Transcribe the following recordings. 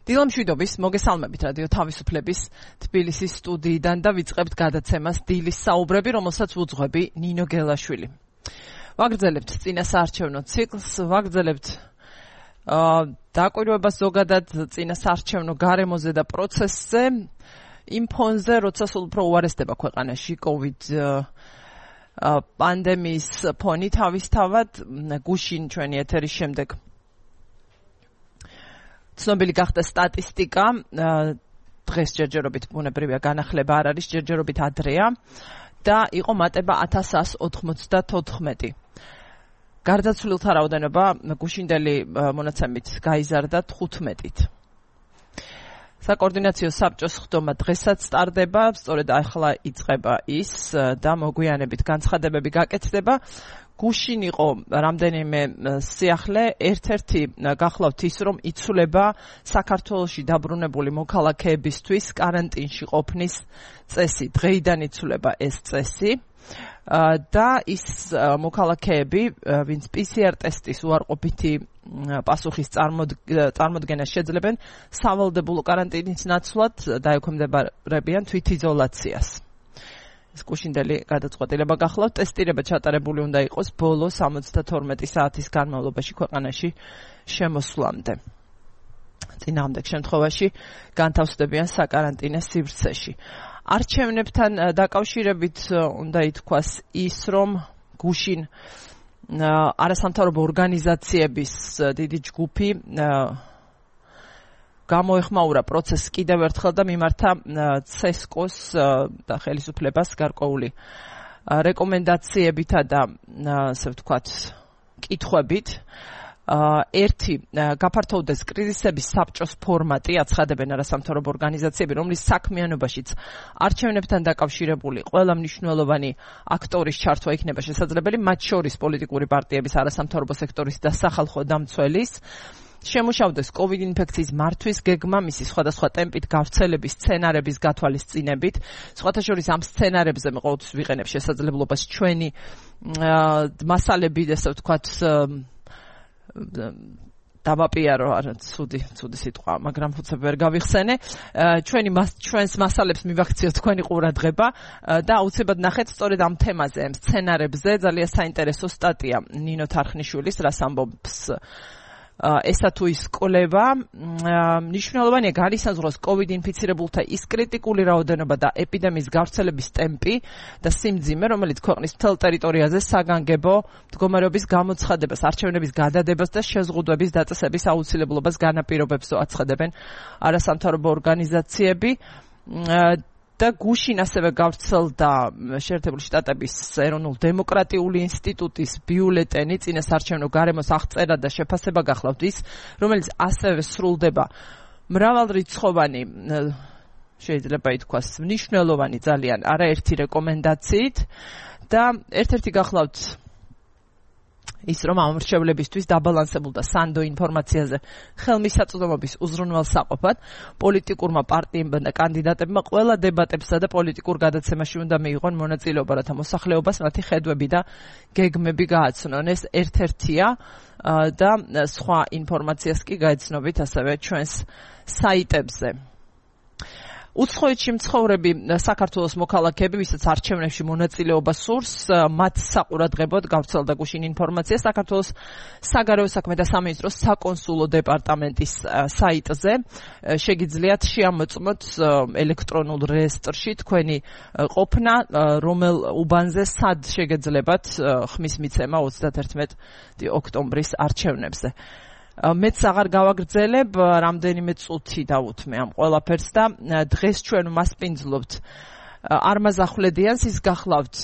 დილამშვიდობის, მოგესალმებით რადიო თავისუფლების თბილისის სტუდიიდან და ვიწყებთ გადაცემას დილის საუბრები, რომელსაც უძღვები ნინო გელაშვილი. ვაგრძელებთ წინასაარჩევნო ციკლს, ვაგრძელებთ დაკვირვებას ზოგადად წინასაარჩევნო გარემოზე და პროცესზე, იმ ფონზე, როცა სულ უფრო უარესდება ქვეყანაში COVID პანდემიის ფონი თავისთავად, გუშინ ჩვენი ეთერის შემდეგ ცნობილი გახდა სტატისტიკა, დღეს ჯერჯერობით ბუნებრივია განახლება არ არის, ჯერჯერობით ადრეა და იყო მატება 1194. გარდაცვლილთა რაოდენობა გუშინდელი მონაცემით გაიზარდა 15-ით. საკოორდინაციო საბჭოს ხდომა დღესაც სტარდება, სწორედ ახლა იწყება ის და მოგვიანებით განცხადებები გაკეთდება. გუშინ იყო რამდენიმე სიახლე, ერთ-ერთი გახლავთ ის, რომ იცვლება საქართველოში დაბრუნებული მოქალაქეებისთვის კარანტინში ყოფნის წესი. დღეიდან იცვლება ეს წესი და ის მოქალაქეები, ვინც PCR ტესტის უარყოფითი პასუხის წარმოდგენას შეძლებენ, სავალდებულო კარანტინის ნაცვლად დაექვემდებარებიან თვითიზოლაციას. ეს გუშინდელი გადაწყვეტილება გახლავთ, ტესტირება ჩატარებული უნდა იყოს ბოლო 72 საათის განმავლობაში ქვეყანაში შემოსვლამდე. წინააღმდეგ შემთხვევაში განთავსდებიან საკარანტინო სივრცეში. არჩევნებთან დაკავშირებით უნდა ითქვას ის, რომ გუშინ არასამთავრობო ორგანიზაციების დიდი ჯგუფი გამოეხმაურა პროცესს კიდევ ერთხელ და მიმართა CESCO-ს და ხელისუფლებას გარკვეული რეკომენდაციებითა და ასე ვთქვათ კითხვებით. ერთი გაფართოვდეს კრიზისების საბჭოს ფორმატი, აცხადებენ არასამთავრობო ორგანიზაციები, რომლის საქმიანობაშიც არჩევნებთან დაკავშირებული ყველა მნიშვნელოვანი აქტორის ჩართვა იქნება შესაძლებელი, მათ შორის პოლიტიკური პარტიების, არასამთავრობო სექტორის და სახალხო დამცველის. შემუშავდეს COVID ინფექციის მართვის გეგმა, მისი სხვადასხვა ტემპით გავრცელების სცენარების გათვალისწინებით. სხვათა შორის ამ სცენარებზე მე ყოველთვის ვიყენებ შესაძლებლობას ჩვენი მასალები, ასე ვთქვათ, დავაპიარო, არა ცუდი სიტყვა, მაგრამ უცებ ვერ გავიხსენე. ჩვენს მასალებს მივაქციოთ თქვენი ყურადღება და აუცილებლად ნახეთ სწორედ ამ თემაზე, ამ სცენარებზე ძალიან საინტერესო სტატია ნინო თარხნიშვილის, რას ამბობს ესა თუ ის კვლევა. მნიშვნელოვანია განისაზღვროს COVID ინფიცირებულთა ის კრიტიკული რაოდენობა და ეპიდემიის გავრცელების ტემპი და სიმძიმე, რომელიც ქვეყნის მთელ ტერიტორიაზე საგანგებო მდგომარეობის გამოცხადებას, არჩევნების გადადებას და შეზღუდვების დაწესების აუცილებლობას განაპირობებს, აცხადებენ არასამთავრობო ორგანიზაციები. და გუშინ ასევე გავრცელდა შეერთებული შტატების ეროვნულ დემოკრატიული ინსტიტუტის ბიულეტენი წინასაარჩევნო გარემოს აღწერა და შეფასება გახლავთ ის, რომელიც ასევე სრულდება მრავალრიცხოვანი, შეიძლება ითქვას, მნიშვნელოვანი ძალიან არაერთი რეკომენდაციით და ერთ-ერთი გახლავთ ის, რომ ამ რჩევლებისთვის დაბალანსებულ და სანდო ინფორმაციაზე ხელმისაწვდომობის უზრუნველსაყოფად პოლიტიკურმა პარტიებმა და კანდიდატებმა ყველა დებატებსა და პოლიტიკურ გადაცემაში უნდა მიიღონ მონაწილეობა, რათა მოსახლეობას მათი ხედვები და გეგმები გააცნონ. ეს ერთ-ერთია და სხვა ინფორმაციას კი გაეცნობით ასევე ჩვენს საიტებზე. უცხოეთში მცხოვრები საქართველოს მოქალაქეები, ვისაც არჩევნებში მონაწილეობა სურს, მათ საყურადღებოდ გავრცელდა გუშინ ინფორმაცია საქართველოს საგარეო საქმე და სამინისტროს საკონსულო დეპარტამენტის საიტზე. შეგიძლიათ შეამოწმოთ ელექტრონულ რეესტრში თქვენი ყოფნა, რომელ უბანზე სად შეგეძლებათ ხმის მიცემა 31 ოქტომბრის არჩევნებზე. მეც აღარ გავაგრძელებ, რამდენიმე წუთი დავუთმე ამ ყველაფერს და დღეს ჩვენ მასპინძლობთ არმაზ ახვლედიანს, ის გახლავთ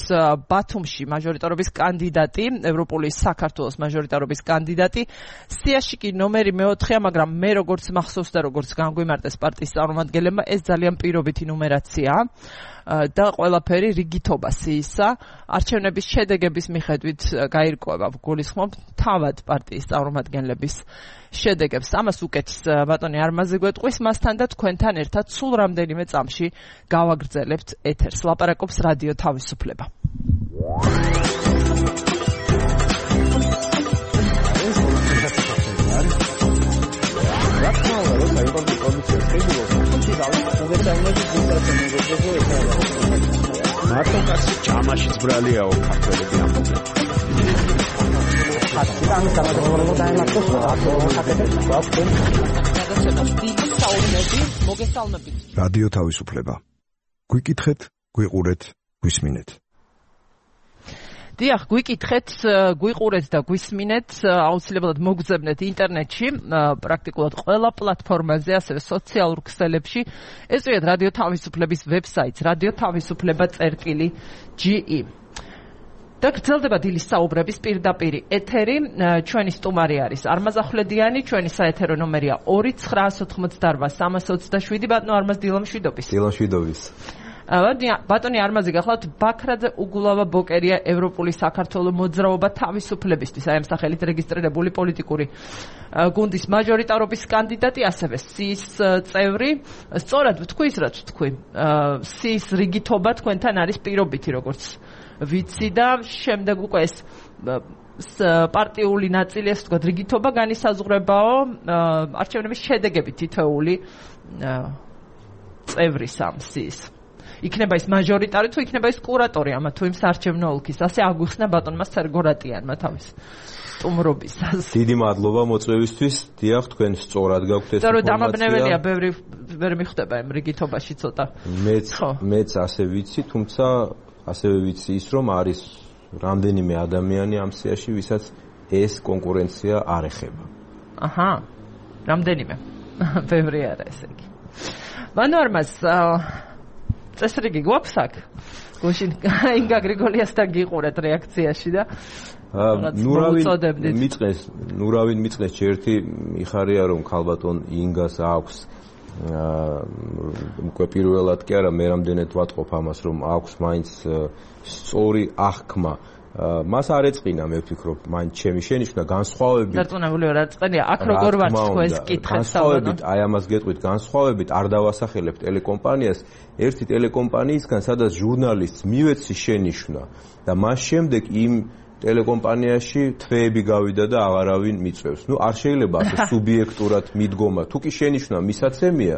ბათუმში მაჟორიტარობის კანდიდატი, ევროპული საქართველოს მაჟორიტარობის კანდიდატი. სიაში კი ნომერი მეოთხეა, მაგრამ მე როგორც მახსოვს და როგორც განგვიმარტეს პარტიის წარმომადგენლებმა, ეს ძალიან პირობითი ნუმერაციაა და ყველაფერი რიგითობა სიისა. არჩევნების შედეგების მიხედვით გაირკვევა, გულისხმობ თავად პარტიის წარმომადგენლების შედეგებს. ამას უკეთს ბატონი არმაზი გვეტყვის, მასთან და თქვენთან ერთად სულ რამდენიმე წამში გავაგრძელებთ ეთერს. ლაპარაკობს რადიო თავისუფლება. მარტო კაცი ჯამაშიც ბრალიაო ქართველები ამბობენ. რადიო თავისუფლება. გვიკითხეთ, გვიყურეთ, გვისმინეთ. დიახ, გვიკითხეთ, გვიყურეთ და გვისმინეთ, აუცილებლად მოგძებნეთ ინტერნეტში, პრაქტიკულად ყველა პლატფორმაზე, ასევე სოციალურ ქსელებში. ესწრიათ რადიო თავისუფლების ვებსაიტს, radiotavisupleba.ge. და გრძელდება დილის საუბრების პირდაპირი ეთერი. ჩვენი სტუმარი არის არმაზ ახვლედიანი, ჩვენი საეთერო ნომერია 2988327. ბატონო არმაზ, დილამშვიდობის. დილამშვიდობის. ბატონი არმაზი გახლავთ, ბაქრაძე უგულავა ბოკერია ევროპული საქართველოს მოძრაობა თავისუფლებისთვის, აი ამ სახელით რეგისტრირებული პოლიტიკური გუნდის მაჟორიტარობის კანდიდატი, ასევე სის წევრი. სწორად ვთქვი ის, რაც ვთქვი. სის რიგითობა თქვენთან არის პირობითი, როგორც ვიცი და შემდეგ უკვე ეს პარტიული ნაწილი, ასე ვთქვათ, რიგითობა განისაზღვრებაო არჩევნების შედეგები თითოეული წევრის ამ სის. იქნება ის მაჟორიტარი თუ იქნება ის კურატორი ამა თუ იმ საარჩევნო ოლქის. ასე აგვიხსნა ბატონმა სერგორატიანმა თავის სტუმრობისას. დიდი მადლობა მოწვევისთვის. დიახ, თქვენ სწორად გაქვთ ეს ინფორმაცია. დამაბნეველია, ბევრი ვერ მიხვდება იმ რიგითობაში ცოტა. მეც ასე ვიცი, თუმცა ასევე ვიცი ის, რომ არის რამდენიმე ადამიანი ამ სიაში, ვისაც ეს კონკურენცია არ ეხება. აჰა. რამდენიმე. ბევრი არა ესე იგი. ბანო არმაზ წესრიგი გვაქვს აქ? გუშინ ინგა გრიგოლიასთან გიყურეთ რეაქციაში და ნურავინ მიწყეს ჯერთი მიხარია რომ ქალბატონ ინგას აქვს უკვე პირველად კი არა მე რამდენად ვატყობ ამას რომ აქვს მაინც სწორი აღქმა მას არ ეწყინა მე ვფიქრობ მაინც ჩემი შენიშვნა განსხვავებით დარწმუნებული ვარ აწყენია აქ როგორ ვარ თქვენს კითხეთ განსხვავებით აი ამას გეტყვით განსხვავებით არ დავასახელებ ტელეკომპანიას ერთი ტელეკომპანიისგან სადაც ჟურნალისტს მივეცი შენიშვნა და მას შემდეგ იმ ტელეკომპანიაში თვეები გავიდა და აღარავინ მიწევს. ნუ არ შეიძლება ასე სუბიექტურად მიდგომა. თუ კი შენიშვნა მისაცემია,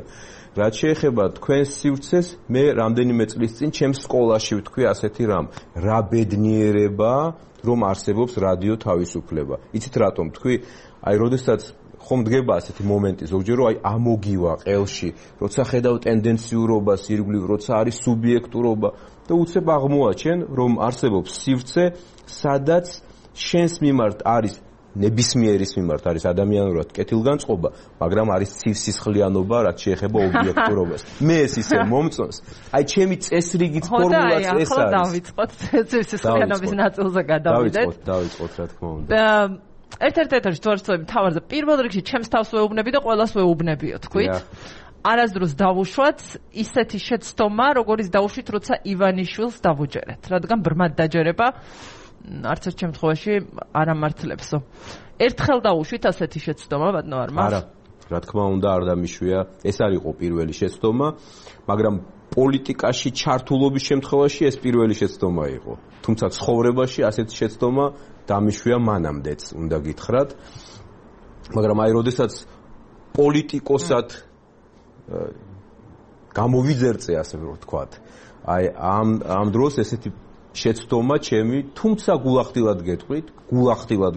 რაც შეეხება თქვენს სივრცეს, მე რამდენიმე წლის წინ ჩემს სკოლაში ვთქვი ასეთი რამ. რა ბედნიერება, რომ არსებობს რადიო თავისუფლება. იცით რატომ თქვი? აი, როდესაც ხომ დგება ასეთი მომენტი ზოგჯერ რომ აი ამოგივა ყელში, როცა ხედავ ტენდენციურობას ირგვლივ, როცა არის სუბიექტურობა და უცებ აღმოაჩენ, რომ არსებობს სივრცე, სადაც შენს მიმართ არის ნებისმიერის მიმართ არის ადამიანურად კეთილგანწყობა, მაგრამ არის სისხლიანობა, რაც შეეხება ობიექტურობას. მე ეს ისე მომწონს. აი ჩემი წესრიგით ფორმულაც ეს არის. დავიწყოთ სისხლიანობის ნაწილზე გადავიდეთ. დავიწყოთ რა თქმა უნდა. ერთ-ერთი თვარწოები თავარზე პირველ რიგში ჩემს თავს ვეუბნები და ყველას ვეუბნებიო, თქვით? არასდროს დავუშვათ ისეთი შეცდომა, როგორიც დავუშვით, როცა ივანიშვილს დავუჯერეთ, რადგან ბრმად დაჯერება არც ერთ შემთხვევაში არ ამართლებსო. ერთხელ დავუშვით ასეთი შეცდომა, ბატონო არმაზ? არა, რა თქმა უნდა, არ დამიშვია. ეს არ იყო პირველი შეცდომა, მაგრამ პოლიტიკაში ჩართულობის შემთხვევაში ეს პირველი შეცდომა იყო. თუმცა ცხოვრებაში ასეთი შეცდომა დამიშვია მანამდეც, უნდა გითხრათ. მაგრამ აი, როდესაც პოლიტიკოსად გამოვიძერწე, ასე ვთქვათ. აი, ამ დროს ესეთი შეცდომა ჩემი, თუმცა გულახდილად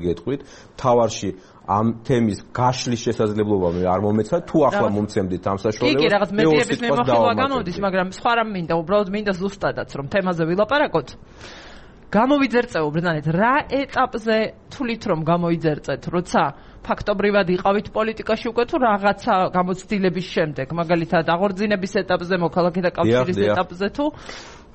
გეტყვით, თავარში ამ თემის გაშლის შესაძლებლობა მე არ მომეცა, თუ ახლა მომცემდით ამ საშუალებას. კი, რაღაც მედიების მიმოხილვა გამოდის, მაგრამ სხვა რამ მინდა, უბრალოდ მინდა ზუსტადაც რომ თემაზე ვილაპარაკოთ. გამოვიძერწეო ბრძანეთ, რა ეტაპზე თulit რომ გამოვიძერწეთ, როცა ფაქტობრივად იყავით პოლიტიკაში უკვე თუ რაღაცა გამოცდილების შემდეგ, მაგალითად აღორძინების ეტაპზე, მოქალაქეთა კავშირის ეტაპზე თუ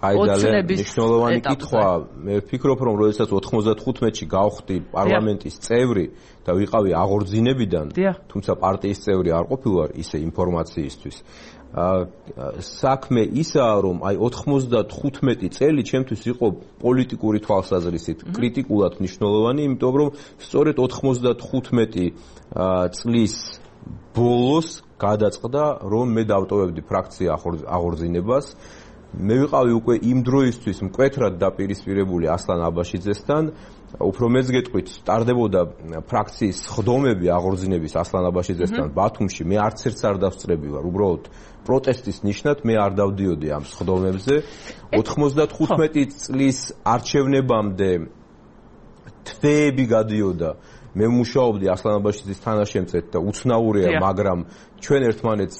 აი ძალიან მნიშვნელოვანი კითხვა. მე ვფიქრობ, რომ როდესაც 95-ში გავხდი პარლამენტის წევრი და ვიყავი აღორძინებიდან, თუმცა პარტიის წევრი არ ყოფილვარ ისე ინფორმაციისთვის. საქმე ისაა, რომ აი 95 წელი ჩემთვის იყო პოლიტიკური თვალსაზრისით კრიტიკულად მნიშვნელოვანი, იმიტომ რომ სწორედ 95 წლის ბოლოს გადაწყდა, რომ მე დავტოვებდი ფრაქცია აღორძინებას. მე ვიყავი უკვე იმ დროისთვის მკვეთრად დაპირისპირებული ასლან აბაშიძესთან, უფრო მეც გეტყვით, ტარდებოდა ფრაქციის ხდომები აღორძინების ასლან აბაშიძესთან ბათუმში, მე არც ერთს არ დავსწრები ვარ, უბრალოდ პროტესტის ნიშნად მე არ დავდიოდი ამ ხდომებზე. 95 წლის არჩევნებამდე თვეები გადიოდა. მე მუშაობდი ასლან აბაშიძის თანაშემწედ და უცნაურია, მაგრამ ჩვენ ერთმანეთს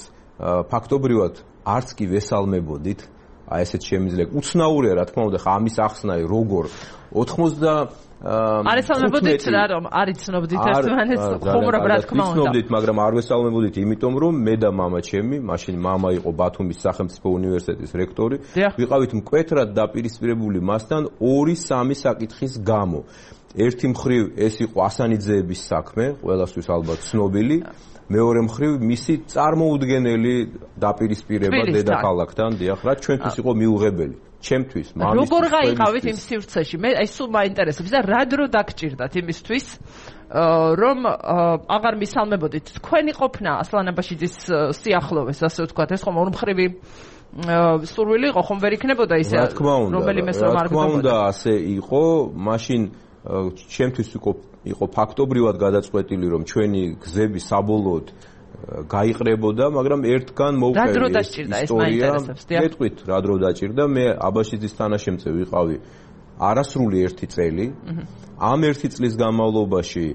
ფაქტობრივად არც კი ვესალმებოდით. აი ესეც შემიძლია. უცნაურია, რა თქმა უნდა, ხა ამის ახსნა როგორ 90 არ ესალმებოდით რა რომ არ იცნობდით ერთმანეთს ხუმრობ რა თქმა უნდა. იცნობდით, მაგრამ არ ვესალმებოდით, იმიტომ რომ მე და მამა ჩემი, მაშინ მამა იყო ბათუმის სახელმწიფო უნივერსიტეტის რექტორი, ვიყავით მკვეთრად დაპირისპირებული მასთან 2-3 საკითხის გამო. ერთი მხრივ ეს იყო ასანიძეების საქმე, ყველასთვის ალბათ ცნობილი. მეორე მხრივ მისი წარმოუდგენელი დაპირისპირება დედაქალაქთან, დიახ, რაც ჩვენთვის იყო მიუღებელი. ჩემთვის, მამისთვის. როგორ გაიყავით იმ სივრცეში? მე აი სულ მაინტერესებს და რა დრო დაგჭირდათ იმისთვის, რომ აღარ მისალმებოდით თქვენი ყოფნა ასლან აბაშიძის სიახლოვეს, ასე ვთქვათ, ეს ხომ ორმხრივი სურვილი იყო, ხომ ვერ იქნებოდა ისე, რომელიმეს რომ არ გქონდა. რა თქმა უნდა, ასე იყო, მაშინ ჩემთვის იყო ფაქტობრივად გადაწყვეტილი, რომ ჩვენი გზები საბოლოოდ გაიყრებოდა, მაგრამ ერთგან მოვყევი ეს ისტორია. მეთქვით, რა დრო დაჭირდა, მე აბაშიძის თანაშემწე ვიყავი არასრული 1 წელი. ამ 1 წლის განმავლობაში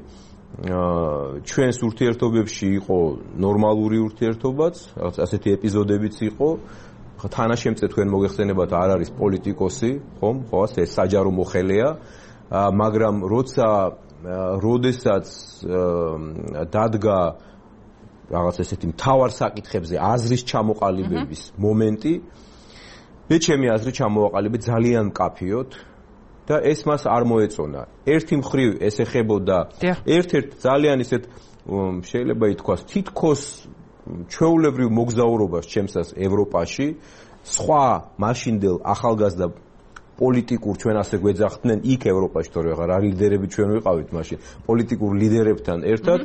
ჩვენს ურთიერთობებში იყო ნორმალური ურთიერთობაც, რაღაც ასეთი ეპიზოდებიც იყო. თანაშემწე თქვენ მოგეხსენებათ, არ არის პოლიტიკოსი, ხომ? ხო, ეს საჯარო მოხელეა, მაგრამ როდესაც დადგა რაღაც ესეთი მთავარ საკითხებზე აზრის ჩამოყალიბების მომენტი, მე ჩემი აზრი ჩამოვაყალიბე ძალიან მკაფიოდ და ეს მას არ მოეწონა. ერთი მხრივ ეს ეხებოდა ერთ-ერთ ძალიან ისეთ შეიძლება ითქვას თითქოს ჩვეულებრივ მოგზაურობას ჩემსას ევროპაში, სხვა მაშინდელ ახალგაზრდა პოლიტიკურ ჩვენ ასე გვეძახდნენ იქ ევროპაში, თორე რა ლიდერები ჩვენ ვიყავით მაშინ, პოლიტიკურ ლიდერებთან ერთად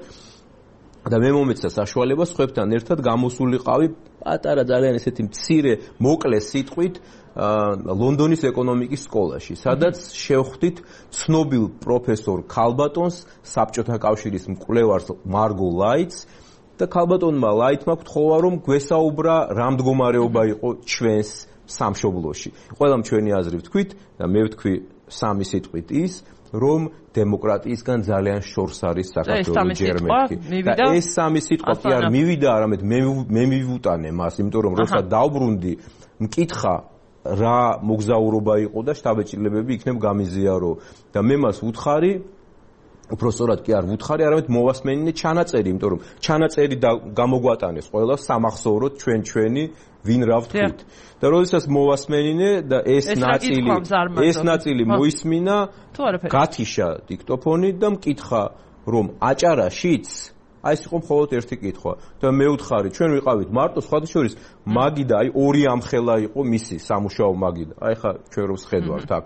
და მე მომეცა საშუალება სხვებთან ერთად გამოსულიყავი პატარა ძალიან ესეთი მცირე მოკლე სიტყვით ლონდონის ეკონომიკის სკოლაში, სადაც შევხვდით ცნობილ პროფესორ ქალბატონს, საბჭოთა კავშირის მკვლევარს მარგო ლაიტს და ქალბატონმა ლაიტმა გთხოვა რომ გვესაუბრა რა მდგომარეობა იყო ჩვენს სამშობლოში. ყველამ ჩვენი აზრი ვთქვით და მე ვთქვი სამი სიტყვით ის, რომ დემოკრატიისგან ძალიან შორს არის საქართველოს ჯერმეტი. და ეს სამი სიტყვა კი არ მივიდა, არამედ მე მივუტანე მას, იმიტომ რომ როცა დავბრუნდი, მკითხა რა მოგზაურობა იყო და შტაბ-ეჭილებები იქნებ გამიზიარო და მე მას ვუთხარი, უпростоრად კი არ ვუთხარი, არამედ მოვასმენინე ჩანაწერი, იმიტომ რომ ჩანაწერი გამოგვატანეს ყველა სამახსოვროდ ჩვენი ვინ რა ვთქვით. და როდესაც მოვასმენინე და ეს ნაწილი მოისმინა, გათიშა დიქტოფონი და მკითხა რომ აჭარაშიც აი ეს იყო მხოლოდ ერთი კითხვა და მე ვუთხარი ჩვენ ვიყავით მარტო სხვადასხვა მაგიდა აი ორი ამხელა იყო მისი სამუშაო მაგიდა აი ხა ჩვენ რომ შედვართ აქ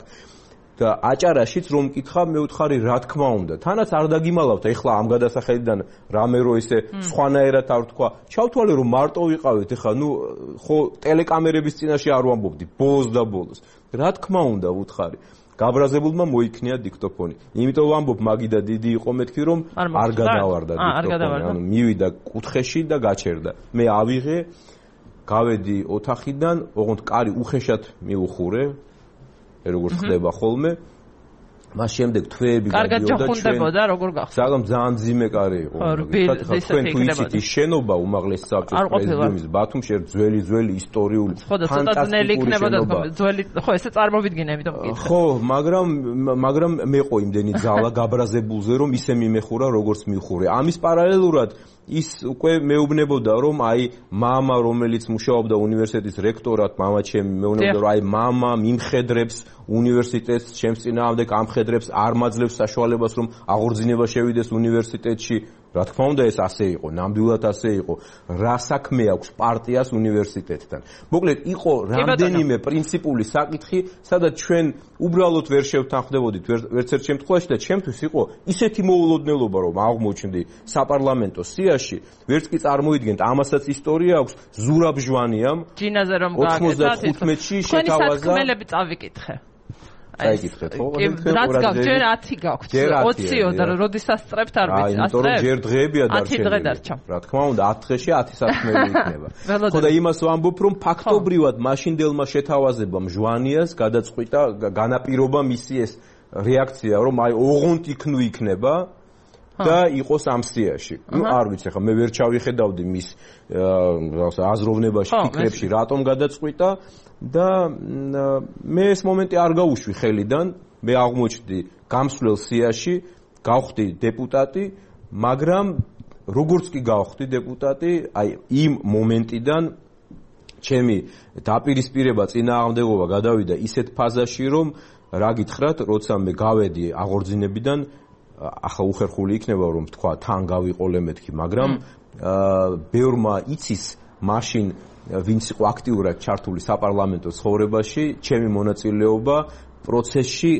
და აჭარაშიც რომ მკითხა მე ვუთხარი რა თქმა უნდა თანაც არ დაგიმალავთ ეხლა ამ გადასახედიდან რამე რო ისე სხვანაირად არ ვთქვა ჩავთვალე რომ მარტო ვიყავით ეხლა ნუ ხო ტელეკამერების წინაშე არ ვამბობდი ბოლოს და ბოლოს რა თქმა უნდა ვუთხარი გაბრაზებულმა მოიქნია დიქტოფონი. იმიტომ ვამბობ მაგიდა დიდი იყო მეთქი რომ არ გადავარდა დიქტოფონი. ანუ მივიდა კუთხეში და გაჩერდა. მე ავიღე, გავედი ოთახიდან, ოღონდ კარი უხეშად მიუხურე, როგორც ხდება ხოლმე. მას შემდეგ თვეები გადიოდა ჩვენ. როგორ გახსოვთ? ძალიან ძიმე კარი იყო. თქვენ თუ იცით ის შენობა უმაღლესი საბჭოს პრეზიდიუმის ბათუმში ძველი ისტორიული ფანტასტიკური იქნებოდა ძველი ხო ესე წარმოვიდგინე ამიტომ მკითხე. ხო, მაგრამ მეყო იმდენი ძალა გაბრაზებულზე რომ ისე მიმეხურა როგორც მიხურე. ამის პარალელურად ის უკვე მეუბნებოდა რომ აი მამა რომელიც მუშაობდა უნივერსიტეტის რექტორად, მამა ჩემი მეუბნებოდა რომ აი მამა მიმხედრებს უნივერსიტეტს, ჩემს წინააღმდეგ ამხედრებს, არ მაძლევს საშუალებას რომ აღორძინება შევიდეს უნივერსიტეტში. რა თქმა უნდა ეს ასე იყო, ნამდვილად ასე იყო. რა საქმე აქვს პარტიას უნივერსიტეტთან. მოკლედ იყო რამდენიმე პრინციპული საკითხი, სადაც ჩვენ უბრალოდ ვერ შევთანხმდებოდით ვერც ერთ შემთხვევაში და ჩემთვის იყო ისეთი მოულოდნელობა, რომ აღმოჩნდი საპარლამენტო სიაში, ვერც კი წარმოიდგენთ, ამასაც ისტორია აქვს ზურაბ ჟვანიამ. ჯინაზე რომ გააკეთა 95-ში შეთავაზა. საქმელები წავიკითხე. აიგითხეთ ხო? რაც გაქვს, ჯერ 10 გაქვს. 20-ო და როდესაც სწრებთ არ ვიცი, ასწრებ. იმიტომ რომ ჯერ დღეებია დარჩენილი. 10 დღე დარჩა. რა თქმა უნდა, 10 დღეში 10 საქმეები იქნება. ხო და იმას ვამბობ, რომ ფაქტობრივად მაშინდელმა შეთავაზებამ ჟვანიას გადაწყვიტა, განაპირობა მისი ეს რეაქცია, რომ აი ოღონდ იქნება და იყოს ამ სიაში. ნუ არ ვიცი, ხა მე ვერ ჩავიხედავდი მის აზროვნებაში, ფიქრებში, რატომ გადაწყვიტა და მე ეს მომენტი არ გავუშვი ხელიდან, მე აღმოჩნდი გამსვლელ სიაში, გავხდი დეპუტატი, მაგრამ როგორც კი გავხდი დეპუტატი, აი იმ მომენტიდან ჩემი დაპირისპირება წინააღმდეგობა გადავიდა ისეთ ფაზაში, რომ რა გითხრათ, როცა მე გავედი აღორძინებიდან ახლა უხერხული იქნება რომ თქვა თან გავიყოლე მეთქი, მაგრამ ბევრმა იცის მაშინ ვინც იყო აქტიურად ჩართული საპარლამენტო ცხოვრებაში, ჩემი მონაწილეობა პროცესში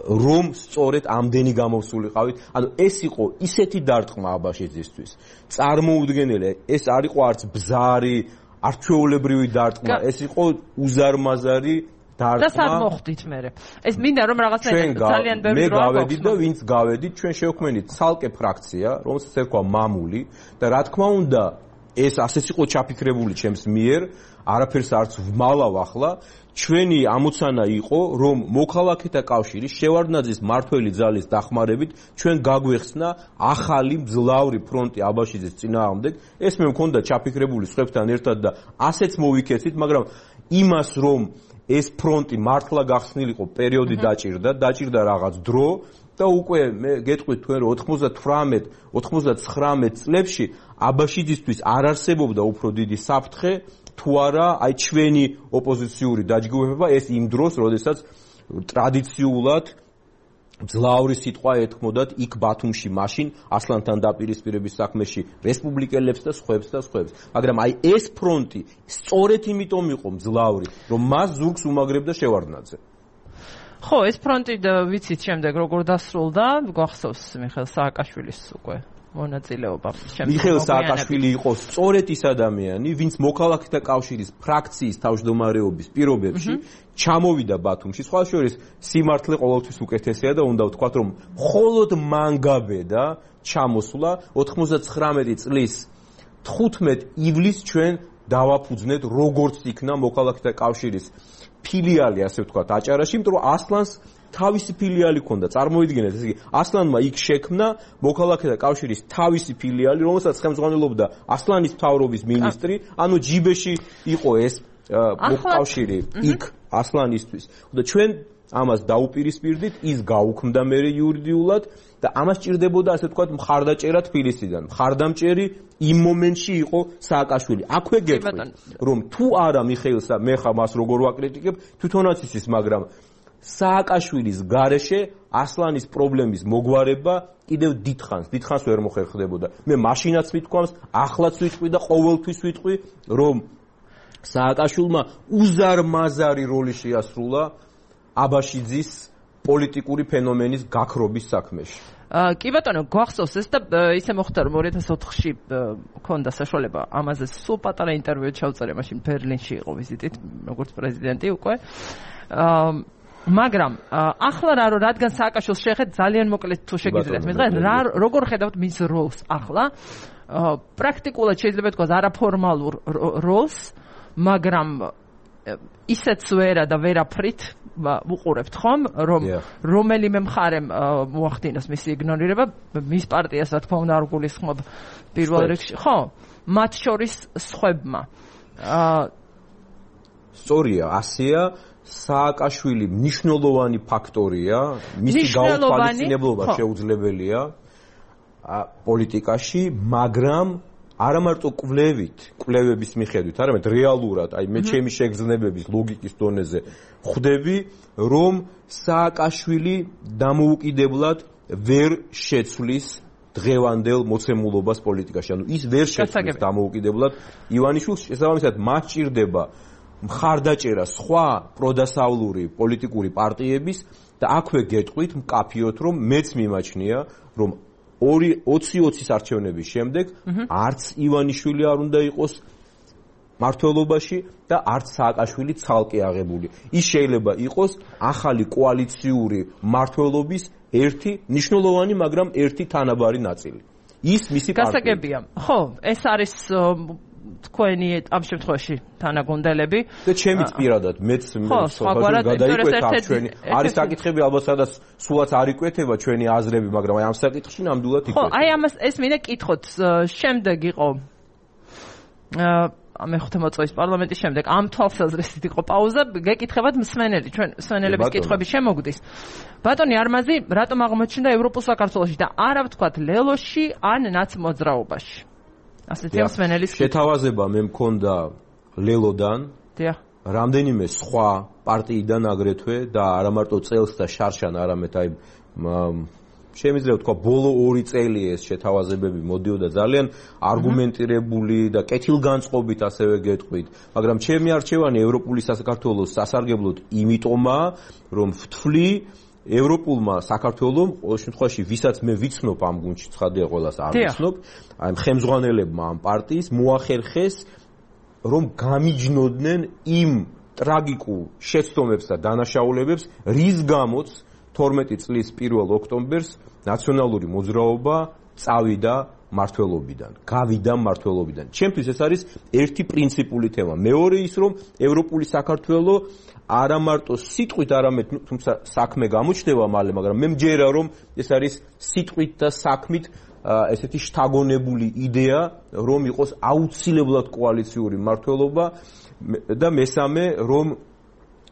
რომ სწორედ ამდენი გამოვსულიყავით. ანუ ეს იყო ისეთი დარტყმა აბაშიძისთვის. წარმოუდგენელი, ეს არ იყო არც ბზარი, არც ჩვეულებრივი დარტყმა, ეს იყო უზარმაზარი და სად მოხდით მე? ეს მინდა რომ რაღაცნაირად ძალიან ბევრი როლი მე გავედით და ვინც გავედით, ჩვენ შევქმნით ცალკე ფრაქცია, რომელსაც ერქვა მამული და რა თქმა უნდა, ეს ასეც იყო ჩაფიქრებული ჩემს მიერ, არაფერს არც ვმალავ ახლა, ჩვენი ამოცანა იყო, რომ მოქალაქეთა კავშირის შევარდნაძის მმართველი ძალის დახმარებით ჩვენ გაგვეხსნა ახალი მძლავრი ფრონტი აბაშიძის წინააღმდეგ. ეს მე მქონდა ჩაფიქრებული სხვებთან ერთად და ასეც მოვიქეცით, მაგრამ იმას რომ ეს ფრონტი მართლა გახსნილიყო პერიოდი დაჭირდა რაღაც დრო და უკვე მე გეტყვით თქვენ რომ 98-99 წლებში აბაშიძისთვის არ არსებობდა უფრო დიდი საფრთხე თუ არა აი ჩვენი ოპოზიციური დაჯგუფება ეს იმ დროს როდესაც ტრადიციულად ძლავრი სიტყვა ეთქმოდათ იქ ბათუმში მაშინ ასლანთან დაპირისპირების საქმეში რესპუბლიკელებს და სხვებს. მაგრამ აი ეს ფრონტი სწორედ იმიტომ იყო მძლავრი, რომ მას ზურგს უმაგრებდა შევარდნაძე. ხო, ეს ფრონტი ვიცით შემდეგ როგორ დასრულდა, გვახსოვს მიხეილ სააკაშვილის უკვე მონაწილეობა. მიხეილ სააკაშვილი იყო სწორედ ის ადამიანი, ვინც მოქალაქეთა კავშირის ფრაქციის თავმჯდომარეობის პირობებში ჩამოვიდა ბათუმში. სხვა შორის სიმართლე ყოველთვის უკეთესია და უნდა ვთქვათ, რომ მხოლოდ მან გაბედა ჩამოსვლა 99 წლის 15 ივლისს ჩვენ დავაფუძნეთ როგორც იქნა მოქალაქეთა კავშირის ფილიალი, ასე ვთქვათ, აჭარაში, იმიტომ რომ ასლანს თავისი ფილიალი ჰქონდა. წარმოიდგინეთ, ესე იგი, ასლანმა იქ შექმნა მოქალაქეთა კავშირის თავისი ფილიალი, რომელსაც ხელმძღვანელობდა ასლანის მთავრობის მინისტრი, ანუ ჯიბეში იყო ეს კავშირი იქ ასლანისთვის. და ჩვენ ამას დაუპირისპირდით, ის გაუქმდა მე იურიდიულად და ამას ჭირდებოდა, ასე ვთქვათ, მხარდაჭერა თბილისიდან. მხარდამჭერი იმ მომენტში იყო სააკაშვილი. აქვე გეტყვით, რომ თუ არა მიხეილსა, მე ხა მას როგორ ვაკრიტიკებ, თვითონაც იცის, მაგრამ სააკაშვილის გარეშე ასლანის პრობლემის მოგვარება კიდევ დიდხანს ვერ მოხერხდებოდა. მე მაშინაც ვიტყვამს, ახლაც ვიტყვი და ყოველთვის ვიტყვი, რომ სააკაშვილმა უზარმაზარი როლი შეასრულა აბაშიძის პოლიტიკური ფენომენის გაქრობის საქმეში. კი ბატონო, გვახსოვს ეს და ისე მოხდა რომ 2004-ში მქონდა საშუალება ამაზე სულ პატარა ინტერვიუ ჩავწერე, მაშინ ბერლინში იყო ვიზიტით, როგორც პრეზიდენტი უკვე. მაგრამ ახლა რადგან სააკაშვილს შეეხეთ ძალიან მოკლედ თუ შეგიძლიათ მე როგორ ხედავთ მის როლს ახლა? პრაქტიკულად შეიძლება თქვა არაფორმალურ როლს, მაგრამ ისეც ვერა და ვერაფრით ვუყურებთ ხომ, რომ რომელიმე მხარემ მოახდინოს მისი იგნორირება, მის პარტიას რა თქმა უნდა არ გულისხმობ პირველ რიგში, ხო? მათ შორის სხვებმა. სწორია, ასეა. სააკაშვილი მნიშვნელოვანი ფაქტორია, მისი გაუთვალისწინებლობა შეუძლებელია პოლიტიკაში, მაგრამ არა მარტო კვლევების მიხედვით, არამედ რეალურად, აი მე ჩემი შეგრძნებების ლოგიკის დონეზე ხვდები, რომ სააკაშვილი დამოუკიდებლად ვერ შეცვლის დღევანდელ მოცემულობას პოლიტიკაში. ანუ ის ვერ შეცვლის დამოუკიდებლად ივანიშვილს, შესაბამისად მას ჭირდება მხარდაჭერა სხვა პროდასავლური პოლიტიკური პარტიების და აქვე გეტყვით მკაფიოდ, რომ მეც მიმაჩნია, რომ 20-20 არჩევნების შემდეგ არც ივანიშვილი არ უნდა იყოს მართლობაში და არც სააკაშვილი ცალკე აღებული. ის შეიძლება იყოს ახალი კოალიციური მართლობის ერთი მნიშვნელოვანი, მაგრამ ერთი თანაბარი ნაწილი. ის მისი პარტია. გასაგებია. ხო, ეს არის თქვენი ამ შემთხვევაში თანაგუნდელები და ჩემიც პირადად მეც გადაიკვეთა ჩვენი არის საკითხები ალბათ სადაც სულაც არ იკვეთება ჩვენი აზრები, მაგრამ აი ამ საკითხში ნამდვილად იკვეთება. ხო, აი ამას ეს მინდა კითხოთ. შემდეგ იყო მეხუთე მოწვევის პარლამენტის შემდეგ ამ თვალსაზრისით იყო პაუზა, გეკითხებათ მსმენელი, ჩვენ მსმენელების კითხვები შემოგვდის. ბატონი არმაზი, რატომ აღმოჩნდა ევროპულ საქართველოში და არა ვთქვათ ლელოში ან ნაცმოძრაობაში? ასეთი მსმენელის შეთავაზება მე მქონდა ლელოდან, დიახ, რამდენიმე სხვა პარტიიდან აგრეთვე და არა მარტო წელს და შარშან, არამედ აი შემიძლია ვთქვა ბოლო 2 წელი ეს შეთავაზებები მოდიოდა ძალიან არგუმენტირებული და კეთილგანწყობით ასევე გეტყვით, მაგრამ ჩემი არჩევანი ევროპული საქართველოს სასარგებლოდ იმიტომაა, რომ ვთვლი ევროპულმა საქართველომ, ყოველ შემთხვევაში ვისაც მე ვიცნობ ამ გუნდში, ცხადია ყველას არ ვიცნობ, აი ხელმძღვანელებმა ამ პარტიის მოახერხეს, რომ გამიჯნოდნენ იმ ტრაგიკულ შეცდომებს და დანაშაულებებს, რის გამოც 12 წლის 1 ოქტომბერს ნაციონალური მოძრაობა წავიდა მართლობიდან, გავიდა მართლობიდან. ჩემთვის ეს არის ერთი პრინციპული თემა. მეორე ის, რომ ევროპული საქართველო არა მარტო სიტყვით, არამედ თუმცა საქმე გამოჩნდება მალე, მაგრამ მე მჯერა, რომ ეს არის სიტყვით და საქმით ესეთი შთაგონებული იდეა, რომ იყოს აუცილებლად კოალიციური მართლობა და მესამე, რომ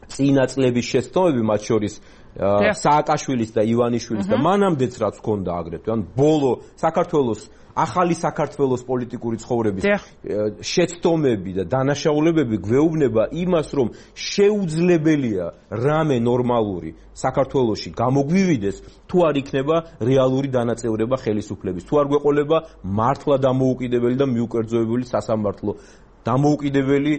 წინა წლების შეცდომები, მათ შორის სააკაშვილის და ივანიშვილის და მანამდეც რაც ჰქონდა აგრეთვე, ან ბოლო საქართველოს ახალი საქართველოს პოლიტიკური ცხოვრების შეცდომები და დანაშაულებები გვეუბნება იმას, რომ შეუძლებელია რამე ნორმალური საქართველოში გამოგვივიდეს, თუ არ იქნება რეალური დანაწევრება ხელისუფლების, თუ არ გვეყოლება მართლა დამოუკიდებელი და მიუკერძოებული სასამართლო, დამოუკიდებელი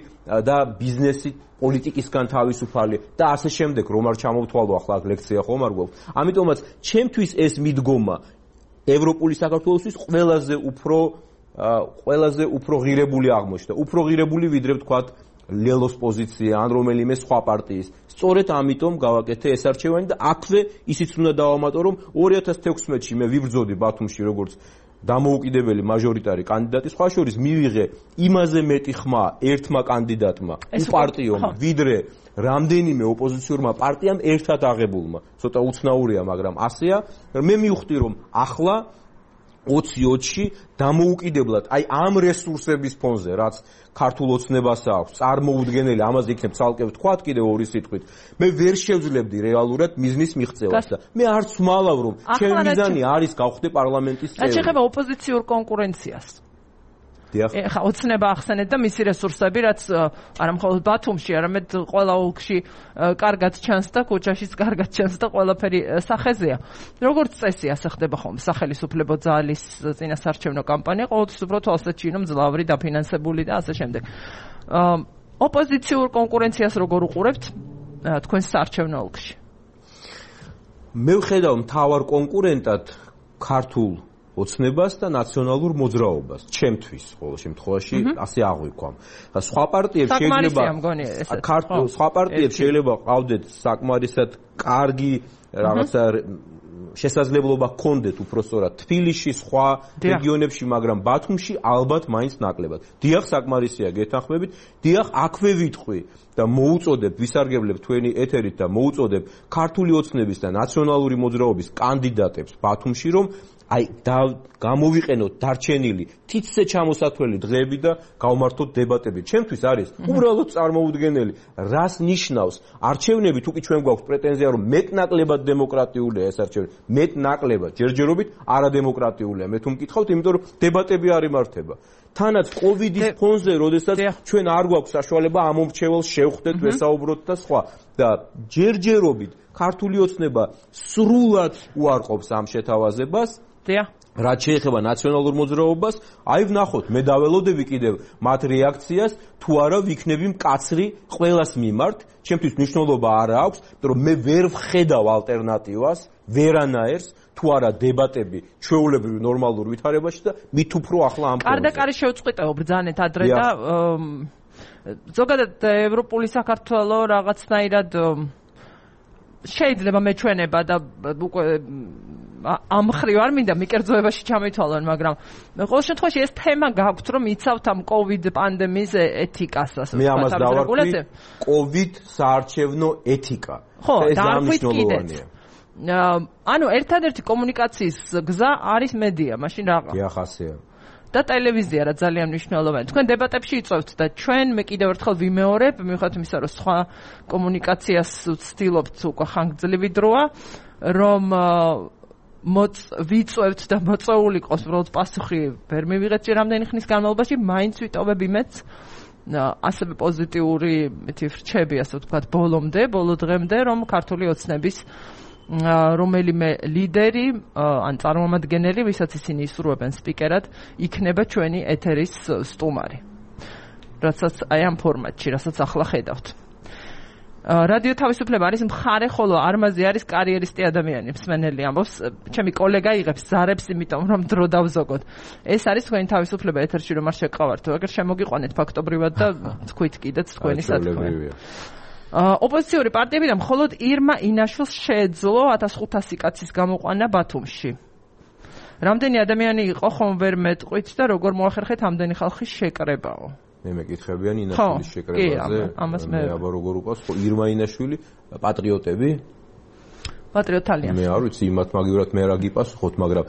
და ბიზნესი პოლიტიკისგან თავისუფალი და ასე შემდეგ, რომ არ ჩამოვთვალო ახლა აქ ლექცია ხომ არ გვაქვს. ამიტომაც ჩემთვის ეს მიდგომა ევროპული საქართველოსთვის ყველაზე უფრო ღირებული აღმოჩნდა. უფრო ღირებული ვიდრე ვთქვათ ლელოს პოზიცია ან რომელიმე სხვა პარტიის. სწორედ ამიტომ გავაკეთე ეს არჩევანი და აქვე ისიც უნდა დავამატო, რომ 2016-ში მე ვიბრძოდი ბათუმში როგორც დამოუკიდებელი მაჟორიტარი კანდიდატი, სხვა შორის მივიღე იმაზე მეტი ხმა ერთმა კანდიდატმა უპარტიომ, ვიდრე რამდენიმე ოპოზიციურმა პარტიამ ერთად აღებულმა. ცოტა უცნაურია, მაგრამ ასეა. მე მივხვდი, რომ ახლა 20-20-ში დამოუკიდებლად, აი ამ რესურსების ფონზე, რაც ქართულ ოცნებას აქვს, წარმოუდგენელი, ამაზე იქნებ ცალკე ვთქვათ კიდევ 2 სიტყვით. მე ვერ შევძლებდი რეალურად მიზნის მიღწევას და მე არც ვმალავ, რომ ჩემი მიზანი არის გავხდე პარლამენტის წევრი. რაც შეეხება ოპოზიციურ კონკურენციას. ეხა ოცნება ახსენეთ და მისი რესურსები, რაც არა მხოლოდ ბათუმში, არამედ ყველა ოლქში კარგად ჩანს და ქუჩაშიც კარგად ჩანს და ყველაფერი სახეზეა. როგორც წესი, ასე ხდება ხოლმე სახელისუფლებო ძალის წინასარჩევნო კამპანია, ყოველთვის უფრო თვალსაჩინო, მძლავრი, დაფინანსებული და ასე შემდეგ. ოპოზიციურ კონკურენციას როგორ უყურებთ თქვენს საარჩევნო ოლქში? მე ვხედავ მთავარ კონკურენტად ქართულ ოცნებას და ნაციონალურ მოძრაობას, ჩემთვის ყოველ შემთხვევაში ასე აღვიქვამ. სხვა პარტიებს შეიძლება ყავდეთ საკმარისად კარგი რაღაცა შესაძლებლობა ჰქონდეთ უпростоრად თბილისში, სხვა რეგიონებში, მაგრამ ბათუმში ალბათ მაინც ნაკლებად. დიახ, საკმარისია გეთანხმებით, დიახ, აქვე ვიტყვი და მოუწოდებ, ვისარგებლებ თქვენი ეთერით და მოუწოდებ ქართული ოცნების და ნაციონალური მოძრაობის კანდიდატებს ბათუმში, რომ აი გამოვიყენოთ დარჩენილი თითზე ჩამოსათვლელი დღეები და გავმართოთ დებატები. ჩემთვის არის უბრალოდ წარმოუდგენელი, რას ნიშნავს არჩევნები, თუკი ჩვენ გვაქვს პრეტენზია, რომ მეტნაკლებად დემოკრატიულია ეს არჩევნები, მეტნაკლებად, ჯერჯერობით არადემოკრატიულია. მე თუ მკითხავთ, იმიტომ რომ დებატები არ იმართება. თანაც კოვიდის ფონზე, როდესაც ჩვენ არ გვაქვს საშუალება ამ მომრჩეველს შევხვდეთ, ვესაუბროთ და სხვა. და ჯერჯერობით ქართული ოცნება სრულად უარყოფს ამ შეთავაზებას. დიახ. რაც შეეხება ნაციონალურ მოძრაობას, აი ვნახოთ, მე დაველოდები კიდევ მათ რეაქციას, თუ არა ვიქნები მკაცრი ყველას მიმართ, ჩემთვის მნიშვნელობა არ აქვს, იმიტომ რომ მე ვერ ვხედავ ალტერნატივას, ვერანაერს, თუ არა დებატები ჩვეულებრივ ნორმალურ ვითარებაში და მით უფრო ახლა ამ კარდაკარი შევწყვიტეო ბრძანეთ ადრე და ზოგადად ევროპული საქართველო რაღაცნაირად შეიძლება მეჩვენება და უკვე ამ ხრივ არ მინდა მიკერძოებაში ჩამითვალონ, მაგრამ ყოველ შემთხვევაში ეს თემა გაქვთ, რომ იცავთ ამ COVID პანდემიის ეთიკას, ასე ვთქვათ. მე ამას დავარქვი COVID საარჩევნო ეთიკა. ხო, ეს მნიშვნელოვანია. ანუ ერთადერთი კომუნიკაციის გზა არის მედია, მაშინ რაღა. დიახასია. და ტელევიზია რა ძალიან მნიშვნელოვანია. თქვენ დებატებში იწვევთ და ჩვენ მე კიდევ ერთხელ ვიმეორებ, მიუხედავად იმისა, რომ სხვა კომუნიკაციას ვცდილობთ უკვე ხანგრძლივი დროა, რომ ვიწვევთ და მოწეული ყავს უბრალოდ პასუხი ვერ მივიღეთ რამდენი ხნის განმავლობაში, მაინც ვიტოვებ იმედს ასევე პოზიტიური რჩები, ასე ვთქვათ, ბოლო დღემდე, რომ ქართული ოცნების რომელიმე ლიდერი ან წარმომადგენელი, ვისაც ისინი ისურვებენ სპიკერად, იქნება ჩვენი ეთერის სტუმარი. რასაც აი ამ ფორმატში, რასაც ახლა ხედავთ. რადიო თავისუფლება არის მხარე, ხოლო არმაზი არის კარიერისტი ადამიანი, მსმენელი ამბობს. ჩემი კოლეგა იღებს ზარებს, იმიტომ რომ დრო დავზოგოთ. ეს არის თქვენი თავისუფლება ეთერში, რომ არ შეგყავართო. აგერ შემოგიყვანეთ ფაქტობრივად და თქვით კიდეც თქვენი სათქმე. ოპოზიციური პარტიები და მხოლოდ ირმა ინაშვილს შეეძლო 1500 კაცის გამოყვანა ბათუმში. რამდენი ადამიანი იყო, ხომ ვერ მეტყვით და როგორ მოახერხეთ ამდენი ხალხის შეკრებაო? მე მეკითხებიან ინაშვილის შეკრებაზე. მე აბა როგორ უყავს ირმა ინაშვილი პატრიოტები? პატრიოტალია. მე არ ვიცი იმათ მაგივრად მე რა გიპასუხოთ, მაგრამ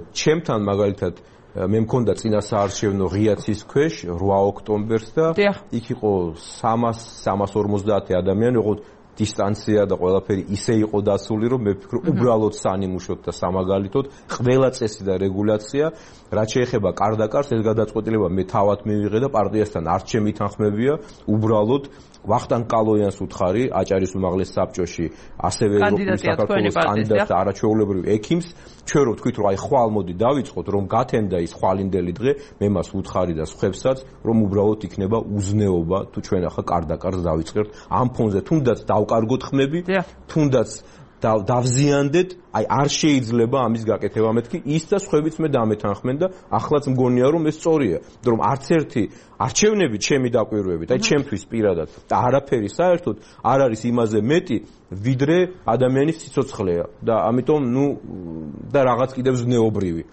ჩემთან მაგალითად მე მქონდა წინა საარჩევნო ღიაცის ქვეშ 8 ოქტომბერს და იქ იყო 350 ადამიანი, ოღონდ დისტანცია და ყველაფერი ისე იყო დასული, რომ მე ვფიქრობ უბრალოდ სანიმუშოდ და სამაგალითოდ ყველა წესი და რეგულაცია, რაც შეეხება კარდაკარს, ეს გადაწყვეტილება მე თავად მივიღე და პარტიასთან არ ჩემი თანხმებია, უბრალოდ ვახტანგ კალოიანს უთხარი აჭარის უმაღლეს საბჭოში, ასევე ევროპული საქართველოს კანდიდატს და არაჩვეულებრივ ექიმს, ჩვენ რო ვთქვით, რომ აი ხვალ მოდი დავიწყოთ, რომ გათენდა ის ხვალინდელი დღე, მე მას უთხარი და სხვებსაც, რომ უბრალოდ იქნება უზნეობა, თუ ჩვენ ახლა კარდაკარს დავიწყებთ ამ ფონზე, თუნდაც დავკარგოთ ხმები, თუნდაც დავზიანდეთ, აი არ შეიძლება ამის გაკეთება მეთქი, ის და სხვებიც მე დამეთანხმენ და ახლაც მგონია რომ ეს სწორია, იმიტომ რომ არც ერთი არჩევნები ჩემი დაკვირვებით, აი ჩემთვის პირადად და არაფერი საერთოდ არ არის იმაზე მეტი, ვიდრე ადამიანის სიცოცხლეა და ამიტომ და რაღაც კიდევ ზნეობრივი.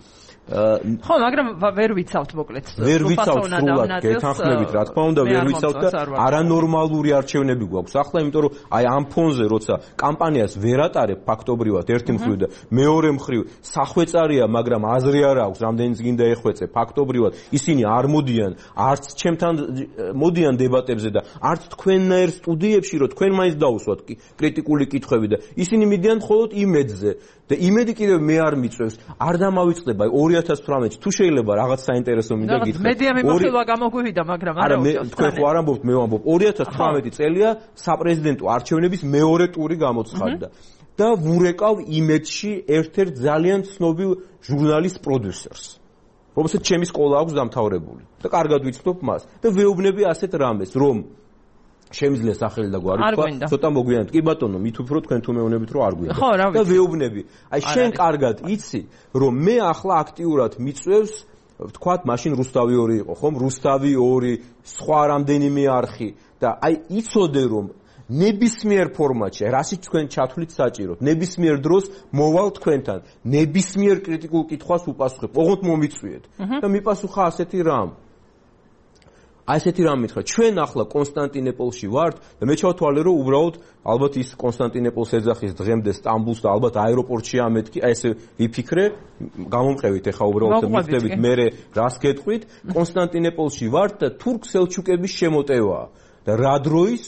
ხო, მაგრამ ვერ ვიცავთ მოკლედ. ვერ ვიცავთ სრულად გეთანხმებით, რა თქმა უნდა, ვერ ვიცავთ და არანორმალური არჩევნები გვაქვს ახლა, იმიტომ რომ აი ამ ფონზე როცა კამპანიას ვერ ატარებ ფაქტობრივად ერთი მხრივ და მეორე მხრივ სახვეწარია, მაგრამ აზრი არ აქვს, რამდენიც გინდა ეხვეწე, ფაქტობრივად ისინი არ მოდიან, არც ჩემთან მოდიან დებატებზე და არც თქვენნაირ სტუდიებში, რომ თქვენ მაინც დაუსვათ კრიტიკული კითხვები და ისინი მიდიან მხოლოდ იმედზე და იმედი კიდევ მე არ მიწევს, არ დამავიწყდება 2018-ში თუ შეიძლება რაღაც საინტერესო მინდა გითხრათ. მედია მიმოხილვა გამოგვივიდა, მაგრამ არა თქვენ ხო არ ამბობთ, მე ვამბობ 2018 წელია საპრეზიდენტო არჩევნების მეორე ტური გამოცხადდა და ვურეკავ იმედში ერთ-ერთ ძალიან ცნობილ ჟურნალის პროდიუსერს, რომელსაც ჩემი სკოლა აქვს დამთავრებული და კარგად ვიცნობ მას და ვეუბნები ასეთ რამეს, რომ შემიძლია სახელი და გვარი თქვა, ცოტა მოგვიანებით. კი ბატონო, მით უფრო თქვენ თუ მეუბნებით რომ არ გვინდა. და ვეუბნები. აი შენ კარგად იცი, რომ მე ახლა აქტიურად მიწევს, ვთქვათ, მაშინ რუსთავი 2 იყო, ხომ? რუსთავი 2, სხვა რამდენიმე არხი და აი იცოდე რომ ნებისმიერ ფორმატში, რასიც თქვენ ჩათვლით საჭიროდ, ნებისმიერ დროს მოვალ თქვენთან, ნებისმიერ კრიტიკულ კითხვას უპასუხებ, ოღონდ მომიწვიეთ. და მიპასუხა ასეთი რამ. აი ესეთი რამ მითხრა, ჩვენ ახლა კონსტანტინოპოლში ვართ და მე ჩავთვალე რომ უბრალოდ ალბათ ის კონსტანტინოპოლს ეძახის დღემდე სტამბულს და ალბათ აეროპორტში ამეთქი, აი ესე ვიფიქრე, გამომყევით ეხა უბრალოდ მიხდებით მე რას გეტყვით, კონსტანტინოპოლში ვართ და თურქ-სელჩუკების შემოტევაა და რა დროის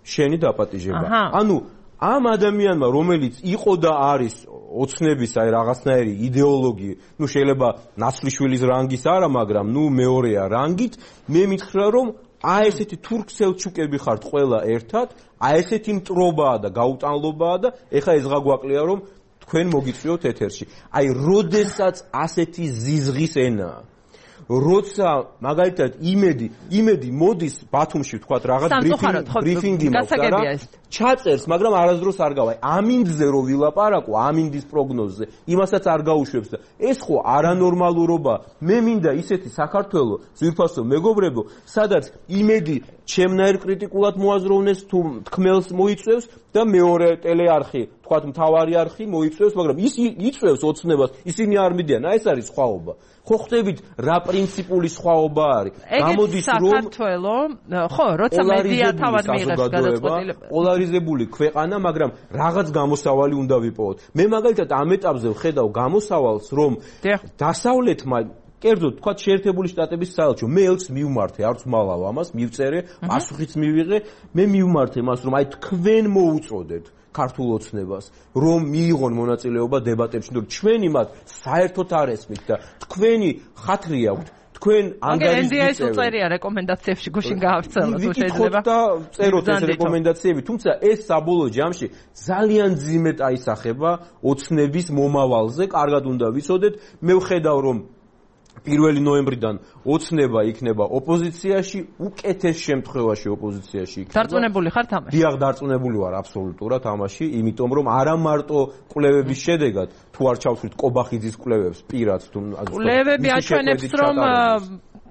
შენი დაპატიჟება. ანუ ამ ადამიანმა, რომელიც იყო და არის ოცნების აი რაღაცნაირი იდეოლოგი, შეიძლება ნაცვლიშვილის რანგის არა, მაგრამ მეორეა რანგით, მე მითხრა რომ აი ესეთი თურქ-სელჩუკები ხართ ყველა ერთად, აი ესეთი მტრობაა და გაუტანლობაა და ეხა ეს გაგვაკლია რომ თქვენ მოგიწვიოთ ეთერში. აი როდესაც ასეთი ზიზღის ენაა როცა მაგალითად იმედი მოდის ბათუმში ვთქვათ რაღაც ბრიფინგი მაქვს რა ჩაწერს მაგრამ არასდროს არ გავა ამინდზე რო ვილაპარაკო ამინდის პროგნოზზე იმასაც არ გაუშვებს და ეს ხო არანორმალურობა მე მინდა ისეთი საქართველოს ძვირფასო მეგობრებო სადაც იმედი ჩემნაირ კრიტიკულად მოაზროვნეს თუ თქმელს მოიწევს და მეორე ტელეარხი ვთქვათ მთავარი არხი მოიწევს მაგრამ ის იწევს ოცნებას ისინი არ მიდიან აი ეს არის სხვაობა ხო ხდებით რა პრინციპული სხვაობა არის გამოდის რომ საქართველოს ხო როცა მედია თავად მიიღებს გადაწყვეტილებას პოლარიზებული ქვეყანა მაგრამ რაღაც გამოსავალი უნდა ვიპოვოთ მე მაგალითად ამ ეტაპზე ვხედავ გამოსავალს რომ დასავლეთმა კერძოდ თქვათ შეერთებული შტატების საელჩო მე ელჩს მივმართე არც მალავ ამას მივწერე პასუხიც მივიღე მე მივმართე მას რომ აი თქვენ მოუწოდეთ ქართულ ოცნებას რომ მიიღონ მონაწილეობა დებატებში რომ ჩვენი მათ საერთოდ არ ესმით და თქვენი ხათრი აქვთ თქვენ ანგარიშს უწერია რეკომენდაციებში გუშინ გაავრცელოთ თუ შეიძლება და წეროთ ეს რეკომენდაციები თუმცა ეს საბოლოო ჯამში ძალიან ძიმედ აისახება ოცნების მომავალზე კარგად უნდა ვიცოდეთ მე ვხედავ რომ 1 ნოემბრიდან ოცნება იქნება ოპოზიციაში, უკეთეს შემთხვევაში ოპოზიციაში იქნება. დარწმუნებული ხართ ამაში? დიახ, დარწმუნებული ვარ აბსოლუტურად ამაში, იმიტომ რომ არა მარტო კვლევების შედეგად, თუ არ ჩავთვლით კობახიძის კვლევებს პირად თუ კვლევები აჩვენებს რომ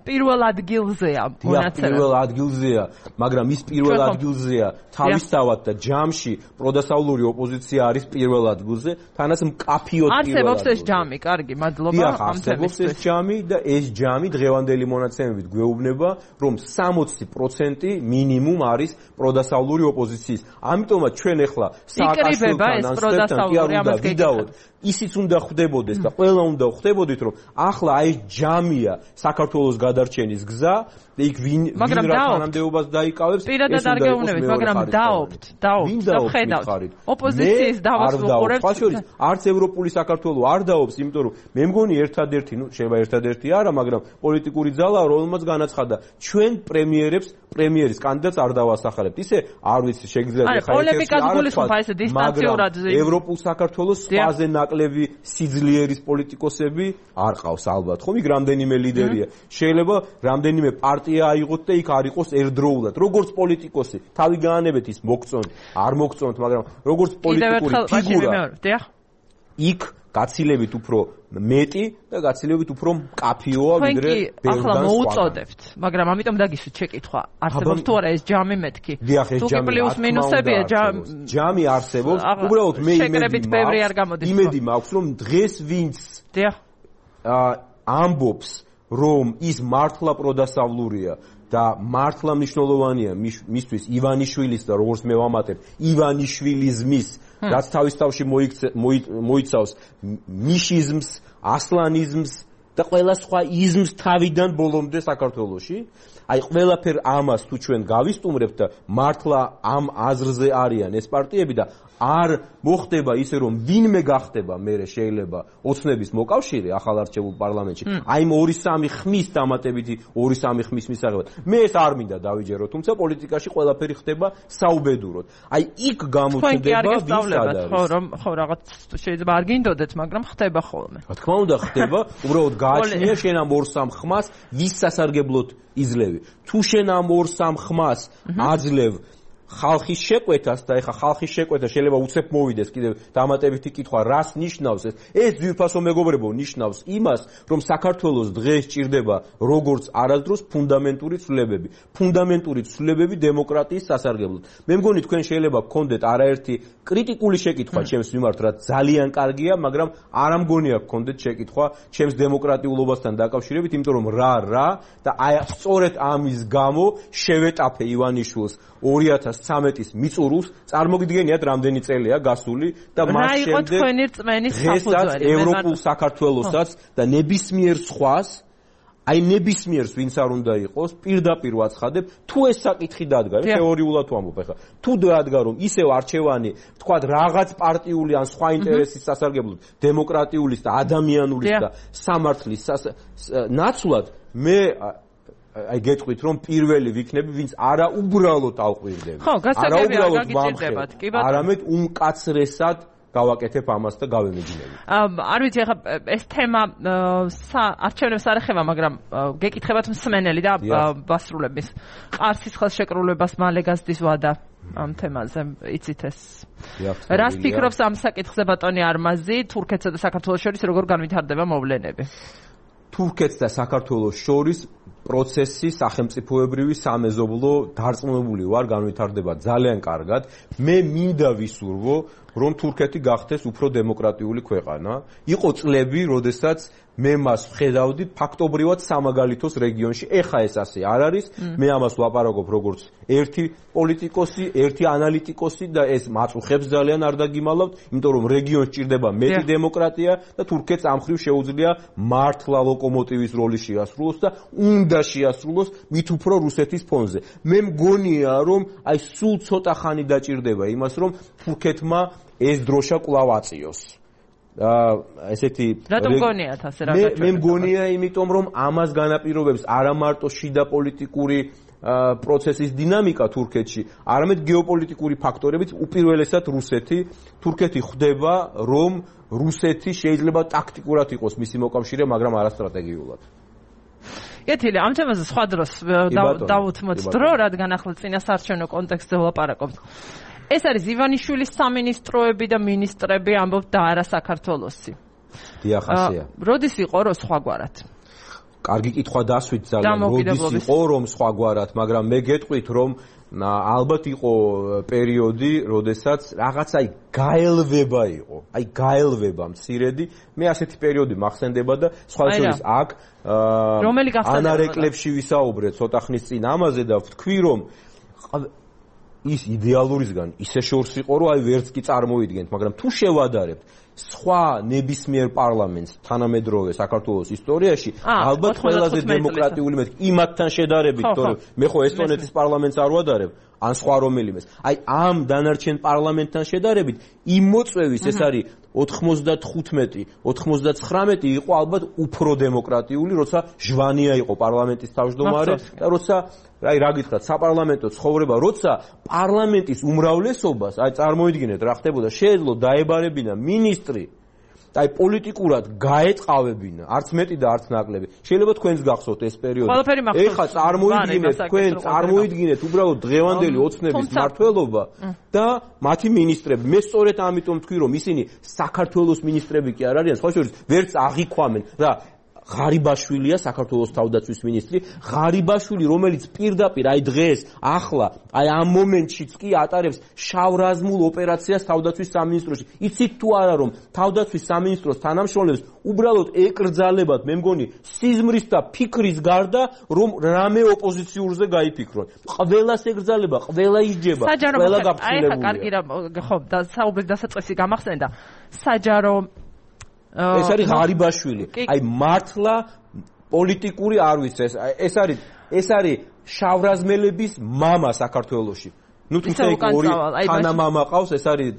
პირველ ადგილზეა მონაცემები. პირველ ადგილზეა, მაგრამ ის პირველ ადგილზეა თავისთავად და ჯამში პროდასავლური ოპოზიცია არის პირველ ადგილზე, თანაც მკაფიოდ პირველ ადგილზე. არსებობს ეს ჯამი, კარგი, მადლობა ამ თემისთვის. ეს ჯამი და ეს ჯამი დღევანდელი მონაცემებით გვეუბნება, რომ 60% მინიმუმ არის პროდასავლური ოპოზიციის. ამიტომაც ჩვენ ახლა სააკაშვილთან ან პროდასავლური ვიდაოთ ისიც უნდა ხდებოდეს და ყველა უნდა ხდებოდეთ რომ ახლა აი ჯამია საქართველოს გადარჩენის გზა და იქ ვინ რა თანამდებობას დაიკავებს პირადად არ გეუბნებით მაგრამ დაობთ და ხედავთ ოპოზიციის დავას ვუყურებთ ხაშორის არც ევროპული საქართველოს არ დაობს იმიტომ რომ მე მგონი ერთადერთი შეიძლება ერთადერთი არა მაგრამ პოლიტიკური ძალა რომელმაც განაცხადა ჩვენ პრემიერის კანდიდატს არ დავასახელებთ ისე არ ვიცი შეგიძლიათ ხა პოლემიკას გულისხმობ ესე დისტანციურად ევროპულ საქართველოს სპაზე ნაკლები სიძლიერის პოლიტიკოსები არ ყავს ალბათ ხო იქ რამდენიმე ლიდერია შეიძლება რამდენიმე პარტია აიღოთ და იქ არ იყოს ერთდროულად როგორც პოლიტიკოსი თავი გაანებეთ ის მოგწონთ არ მოგწონთ მაგრამ როგორც პოლიტიკური ფიგურა იქ გაცილებით უფრო მეტი და გაცილებით უფრო მკაფიოა ვიდრე ბევრგან ახლა მოუწოდებთ მაგრამ ამიტომ დაგისვით შეკითხვა არსებობს თუ არა ეს ჯამი მეთქი თუ კი პლუს მინუსებია ჯამი არსებობს უბრალოდ მე იმედი მაქვს რომ დღეს ვინც ამბობს რომ ის მართლა პროდასავლურია და მართლა მნიშვნელოვანია მისთვის ივანიშვილის და როგორც მე ვამატებ ივანიშვილიზმის რაც თავის თავში მოიცავს მიშიზმს, ასლანიზმს და ყველა სხვა იზმს თავიდან ბოლომდე საქართველოში. აი ყველაფერ ამას თუ ჩვენ გავისტუმრებთ და მართლა ამ აზრზე არიან ეს პარტიები და არ მოხდება ისე რომ ვინმე გახდება მერე შეიძლება ოცნების მოკავშირე ახალ არჩეულ პარლამენტში აი 2-3 ხმის დამატებითი 2-3 ხმის მისაღებად მე ეს არ მინდა დავიჯერო თუმცა პოლიტიკაში ყველაფერი ხდება საუბედუროდ აი იქ გამოჩნდება ხო რაღაც შეიძლება არ გინდოდეთ მაგრამ ხდება ხოლმე რა თქმა უნდა ხდება უბრალოდ გააჩნია შენ ამ 2-3 ხმას ვის სასარგებლოდ იძლევი თუ შენ ამ 2-3 ხმას აძლევ ხალხის შეკვეთას და ეხა ხალხის შეკვეთა შეიძლება უცებ მოვიდეს კიდევ დამატებითი კითხვა რას ნიშნავს ეს ძვირფასო მეგობრებო ნიშნავს იმას რომ საქართველოს დღეს ჭირდება როგორც არასდროს ფუნდამენტური ცვლილებები დემოკრატიის სასარგებლოდ მე მგონი თქვენ შეიძლება გქონდეთ არაერთი კრიტიკული შეკითხვა ჩემს მიმართ რაც ძალიან კარგია მაგრამ არ ამგონია გქონდეთ შეკითხვა ჩემს დემოკრატიულობასთან დაკავშირებით იმიტომ რომ რა და აი სწორედ ამის გამო შევეტაფე ივანიშვილს 2013-ის მიწურულს წარმოგიდგენიათ რამდენი წელია გასული და მას შემდეგ დღესაც ევროპულ საქართველოსაც და ნებისმიერ სხვას აი ნებისმიერს ვინც არ უნდა იყოს პირდაპირ ვაცხადებ თუ ეს საკითხი დადგა თეორიულად ვამბობ ახლა თუ დადგა რომ ისევ არჩევანი თქვა რაღაც პარტიული ან სხვა ინტერესის სასარგებლოდ დემოკრატიულის და ადამიანულის და სამართლის ნაცვლად მე აი გეტყვით რომ პირველი ვიქნები ვინც არა უბრალოდ ავყვირდები. ხო, გასაგებია, გაგიჭირდებათ. კი ბატონო. არამედ უმკაცრესად გავაკეთებ ამას და გავემეჯნები. არ ვიცი ახლა ეს თემა არჩევნებს არ ეხება, მაგრამ გეკითხებათ მსმენელი და ბასრულების ყარსის ხელშეკრულებას მალე გასდის ვადა ამ თემაზე, იცით ეს. რას ფიქრობს ამ საკითხზე ბატონი არმაზი, თურქეთსა და საქართველოს შორის როგორ განვითარდება მოვლენები? თურქეთს და საქართველოს შორის პროცესი სახელმწიფოებრივი სამეზობლო დარწმუნებული ვარ განვითარდება ძალიან კარგად. მე მინდა ვისურვო რომ თურქეთი გახდეს უფრო დემოკრატიული ქვეყანა. იყო წლები, როდესაც მე მას ვხედავდი ფაქტობრივად სამაგალითოს რეგიონში. ეხა ეს ასე არ არის. მე ამას ვაპარაკობ როგორც ერთი პოლიტიკოსი, ერთი ანალიტიკოსი და ეს მაწუხებს ძალიან არ დაგიმალავთ, იმიტომ რომ რეგიონს ჭირდება მეტი დემოკრატია და თურქეთს ამ ხრივ შეუძლია მართლა ლოკომოტივის როლი შეასრულოს და უნდა შეასრულოს მით უფრო რუსეთის ფონზე. მე მგონია რომ აი სულ ცოტა ხანი დაჭირდება იმას რომ თურქეთმა ეს დროშა კვლავ აწიოს. ესეთი რატომ გონიათ ასე რა გაჩვენებთ? მე მგონია იმიტომ რომ ამას განაპირობებს არა მარტო შიდა პოლიტიკური პროცესის დინამიკა თურქეთში, არამედ გეოპოლიტიკური ფაქტორებიც, უპირველესად რუსეთი. თურქეთი ხვდება რომ რუსეთი შეიძლება ტაქტიკურად იყოს მისი მოკავშირე, მაგრამ არა სტრატეგიულად. ეთილი ამ თემაზე სხვა დროს დავუთმოთ დრო, რადგან ახლა წინასაარჩევნო კონტექსტზე ვლაპარაკობთ. ეს არის ივანიშვილის სამინისტროები და მინისტრები ამბობთ და არა საქართველოსი. დიახ, ასეა. როდის იყო რომ სხვაგვარად? კარგი კითხვა დასვით ძალიან. როდის იყო რომ სხვაგვარად, მაგრამ მე გეტყვით რომ ალბათ იყო პერიოდი, როდესაც რაღაცა გაელვება იყო. აი გაელვება მცირედი. მე ასეთი პერიოდი მახსენდება და სხვა შორის აქ რომელი გახსენდება? ანარეკლებში ვისაუბრეთ ცოტა ხნის წინ ამაზე და ვთქვი რომ ის იდეალურისგან ისე შორს იყო რომ აი ვერც კი წარმოიდგენთ, მაგრამ თუ შევადარებთ სხვა ნებისმიერ პარლამენტს თანამედროვე საქართველოს ისტორიაში, ალბათ ყველაზე დემოკრატიული მეთქი იმათთან შედარებით, თორემ მე ხო ესტონეთის პარლამენტს არ ვადარებ, ან სხვა რომელიმეს. აი ამ დანარჩენ პარლამენტთან შედარებით იმ მოწვევის ეს არის 95-99 იყო ალბათ უფრო დემოკრატიული, როცა ჟვანია იყო პარლამენტის თავმჯდომარე და როცა აი რა გითხრათ, საპარლამენტო ცხოვრება, როცა პარლამენტის უმრავლესობას, აი წარმოიდგინეთ რა ხდებოდა, შეეძლო დაებარებინა მინისტრი და აი პოლიტიკურად გაეწყავებინა, არც მეტი და არც ნაკლები. შეიძლება თქვენს გახსოვთ ეს პერიოდი. ეხლა წარმოიდგინეთ უბრალოდ დღევანდელი ოცნების მმართველობა და მათი მინისტრები. მე სწორედ ამიტომ თქვი რომ ისინი საქართველოს მინისტრები კი არ არიან, სხვა შორის ვერც აღიქვამენ რა ღარიბაშვილია საქართველოს თავდაცვის მინისტრი, ღარიბაშვილი რომელიც პირდაპირ აი დღეს ახლა აი ამ მომენტშიც კი ატარებს შავრაზმულ ოპერაციას თავდაცვის სამინისტროში. იცით თუ არა რომ თავდაცვის სამინისტროს თანამშრომლებს უბრალოდ ეკრძალებათ, მე მგონი სიზმრის და ფიქრის გარდა რომ რამე ოპოზიციურზე გაიფიქრონ. ყველას ეკრძალება, ყველა ისჯება, ყველა გაფრთხილებულია. აი კარგი რა ხო და საუბრის დასაწყისი გამახსენდა. საჯარო ეს არის ღარიბაშვილი. აი მართლა პოლიტიკური არ ვიცი ეს არის შავრაზმელების მამა საქართველოში. ნუ თუმცა ორი თანამამა ყავს, ეს არის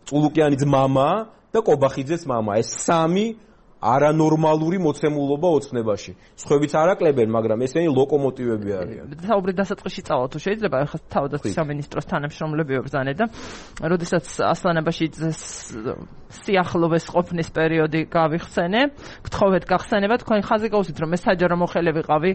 წულუკიანის მამა და კობახიძეს მამა. ეს სამი არანორმალური მოცემულობა ოცნებაში. სხვაებიც არ აკლებენ, მაგრამ ესენი ლოკომოტივები არიან. საუბრის დასაწყისში წავალ თუ შეიძლება, ახლა თავდაცვის სამინისტროს თანამშრომლები ვებრძანე და როდესაც ასლანებაში სიახლოვეს ყოფნის პერიოდი გავიხსენე, გთხოვეთ გახსენება, თქვენ ხაზი გავუსვით რომ მე საჯარო მოხელე ვიყავი,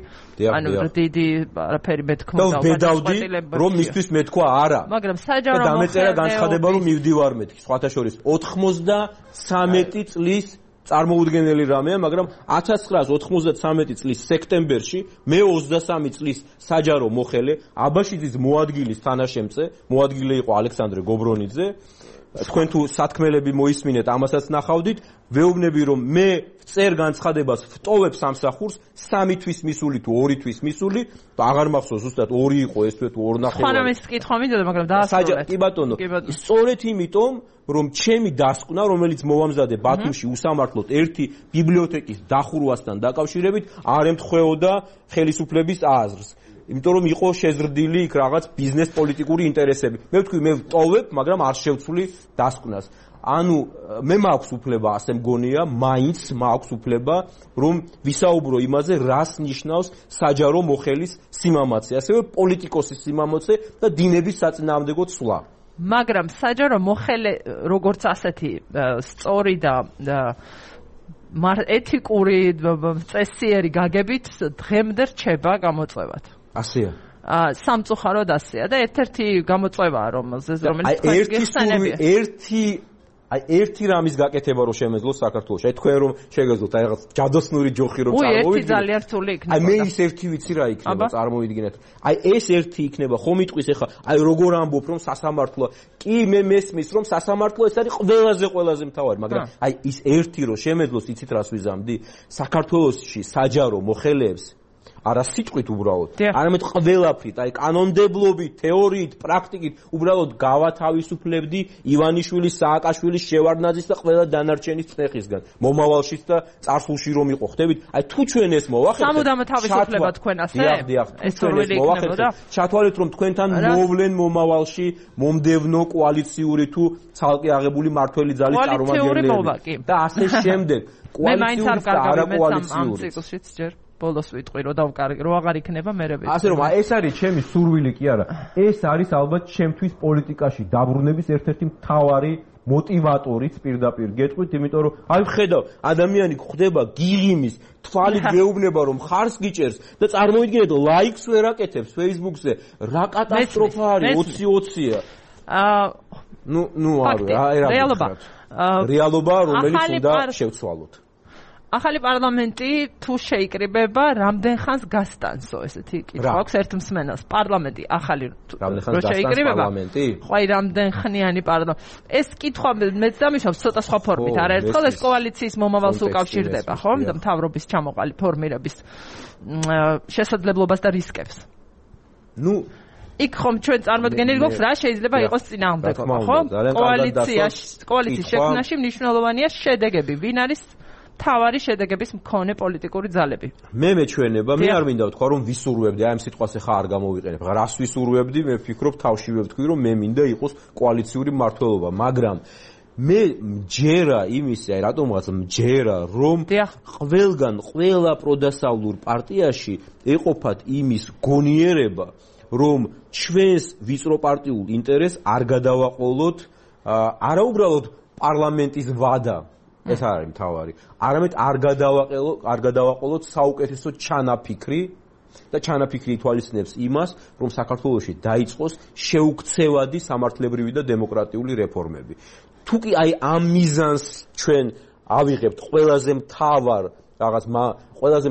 ანუ დიდი არაფერი მეთქმა და ვედავდი რომ მისთვის მეთქვა არა. მაგრამ საჯარო მოხელე დამეწერა განცხადება რომ მივდივარ მეთქი, სხვათა შორის 93 წლის წარმოუდგენელი რამეა, მაგრამ 1993 წლის სექტემბერში მე 23 წლის საჯარო მოხელე აბაშიძის მოადგილის თანაშემწე, მოადგილე იყო ალექსანდრე გობრონიძე. თქვენ თუ სათქმელები მოისმინეთ, ამასაც ნახავდით, ვეუბნები რომ მე წერ განცხადებას ვტოვებ სამსახურს 3 თვის მისული თუ 2 თვის მისული, აღარ მახსოვს ზუსტად 2 იყო ეს თუ 2.5. ხანამ ეს კითხვა მინდოდა, მაგრამ დაასრულეთ. კი ბატონო. სწორედ იმიტომ რომ ჩემი დასკვნა, რომელიც მოვამზადე ბათუმში უსამართლოდ ერთი ბიბლიოთეკის დახურვასთან დაკავშირებით, არ ემთხვეოდა ხელისუფლების აზრს. იმიტომ რომ იყო შეზრდილი იქ რაღაც ბიზნეს პოლიტიკური ინტერესები. მე ვთქვი, მე ვტოვებ, მაგრამ არ შევცვლი დასკვნას. ანუ მე მაქვს უფლება, ასე მგონია, მაინც მაქვს უფლება, რომ ვისაუბრო იმაზე, რას ნიშნავს საჯარო მოხელის სიმამაცე, ასევე პოლიტიკოსის სიმამაცე და დინების საწინააღმდეგო ცვლა. მაგრამ საჯარო მოხელე როგორც ასეთი სწორი და ეთიკური წესიერი გაგებით დღემდე რჩება გამოწვევად. ასეა. სამწუხაროდ ასეა და ერთ-ერთი გამოწვევაა რომელიც ერთი რამის გაკეთება რომ შემეძლოს საქართველოში. აი თქვენ რომ შეგეძლოთ აი რაღაც ჯადოსნური ჯოხი რომ წარმოვიდგინოთ. ერთი ძალიან რთული იქნება. აი მე ის ერთი ვიცი რა იქნება წარმოვიდგინეთ. აი ეს ერთი იქნება ხომ იტყვის ახლა აი როგორ ამბობ რომ სასამართლოა. კი მე მესმის რომ სასამართლო ეს არის ყველაზე მთავარი, მაგრამ აი ის ერთი რომ შემეძლოს იცით რას ვიზამდი? საქართველოში საჯარო მოხელეებს არა სიტყვით უბრალოდ, არამედ ყველაფრით, აი კანონმდებლობით, თეორიით, პრაქტიკით, უბრალოდ გავათავისუფლებდი ივანიშვილის, სააკაშვილის, შევარდნაძის და ყველა დანარჩენის წნეხისგან. მომავალშიც და წარსულში რომ იყო, ხდებით? აი თუ ჩვენ ეს მოვახერხებთ, სამუდამო თავისუფლება თქვენ ასე? ეს როლი იქნებოდა? ჩათვალეთ რომ თქვენთან მოვლენ მომავალში მომდევნო კოალიციური თუ ცალკე აღებული მართველი ძალის წარმომადგენლები და ასე შემდეგ. კოალიციური და არაკოალიციური. ბოლოს ვიტყვი რომ დავკარგი რომ აღარ იქნება მერე. ასე რომ ეს არის ჩემი სურვილი კი არა. ეს არის ალბათ ჩემთვის პოლიტიკაში დაბრუნების ერთ-ერთი მთავარი მოტივატორიც პირდაპირ გეტყვით, იმიტომ რომ აი ვხედავ ადამიანი ხდება გიღიმის, თვალით გეუბნება რომ ხარს გიჭერს და წარმოიდგინეთ ლაიქს ვერ აკეთებს Facebook-ზე. რა კატასტროფა არის 20-20-ია. ნუ არა, რეალობა რომელიც უნდა შევცვალოთ. ახალი პარლამენტი თუ შეიკრიბება, რამდენ ხანს გასტანსო, ესეთი კითხვა აქვს ერთ მსმენელს. პარლამენტი ახალი რო შეიკრიბება, ხო აი რამდენ ხნიანი პარლამენტი. ეს კითხვა მეც დამიშავ ცოტა სხვა ფორმით. არაერთხელ ეს კოალიციის მომავალს უკავშირდება, ხო? და მთავრობის ჩამოყალიბ ფორმირების შესაძლებლობას და რისკებს. იქ ხომ ჩვენ წარმოდგენილი გვაქვს რა შეიძლება იყოს წინააღმდეგობა, ხო? კოალიციის შექმნაში მნიშვნელოვანია შედეგები. ვინ არის თავარი შედეგების მქონე პოლიტიკური ძალები. მე მეჩვენება, მე არ მინდა ვთქვა რომ ვისურვებდი, აი ამ სიტყვას ახლა არ გამოვიყენებ. რას ვისურვებდი? მე ვფიქრობ თავშივე ვთქვი რომ მე მინდა იყოს კოალიციური მმართველობა, მაგრამ მე მჯერა იმისი, აი რატომღაც მჯერა რომ ყველგან ყველა პროდასავლურ პარტიაში ეყოფათ იმის გონიერება, რომ ჩვენს ვიწრო პარტიულ ინტერესს არ გადავაყოლოთ არა უბრალოდ პარლამენტის ვადა ეს არის მთავარი. არამედ არ გადავაყოლოთ საუკეთესო ჩანაფიქრი და ჩანაფიქრი ითვალისწინებს იმას, რომ საქართველოში დაიწყოს შეუქცევადი სამართლებრივი და დემოკრატიული რეფორმები. თუ კი აი ამ მიზანს ჩვენ ავიღებთ ყველაზე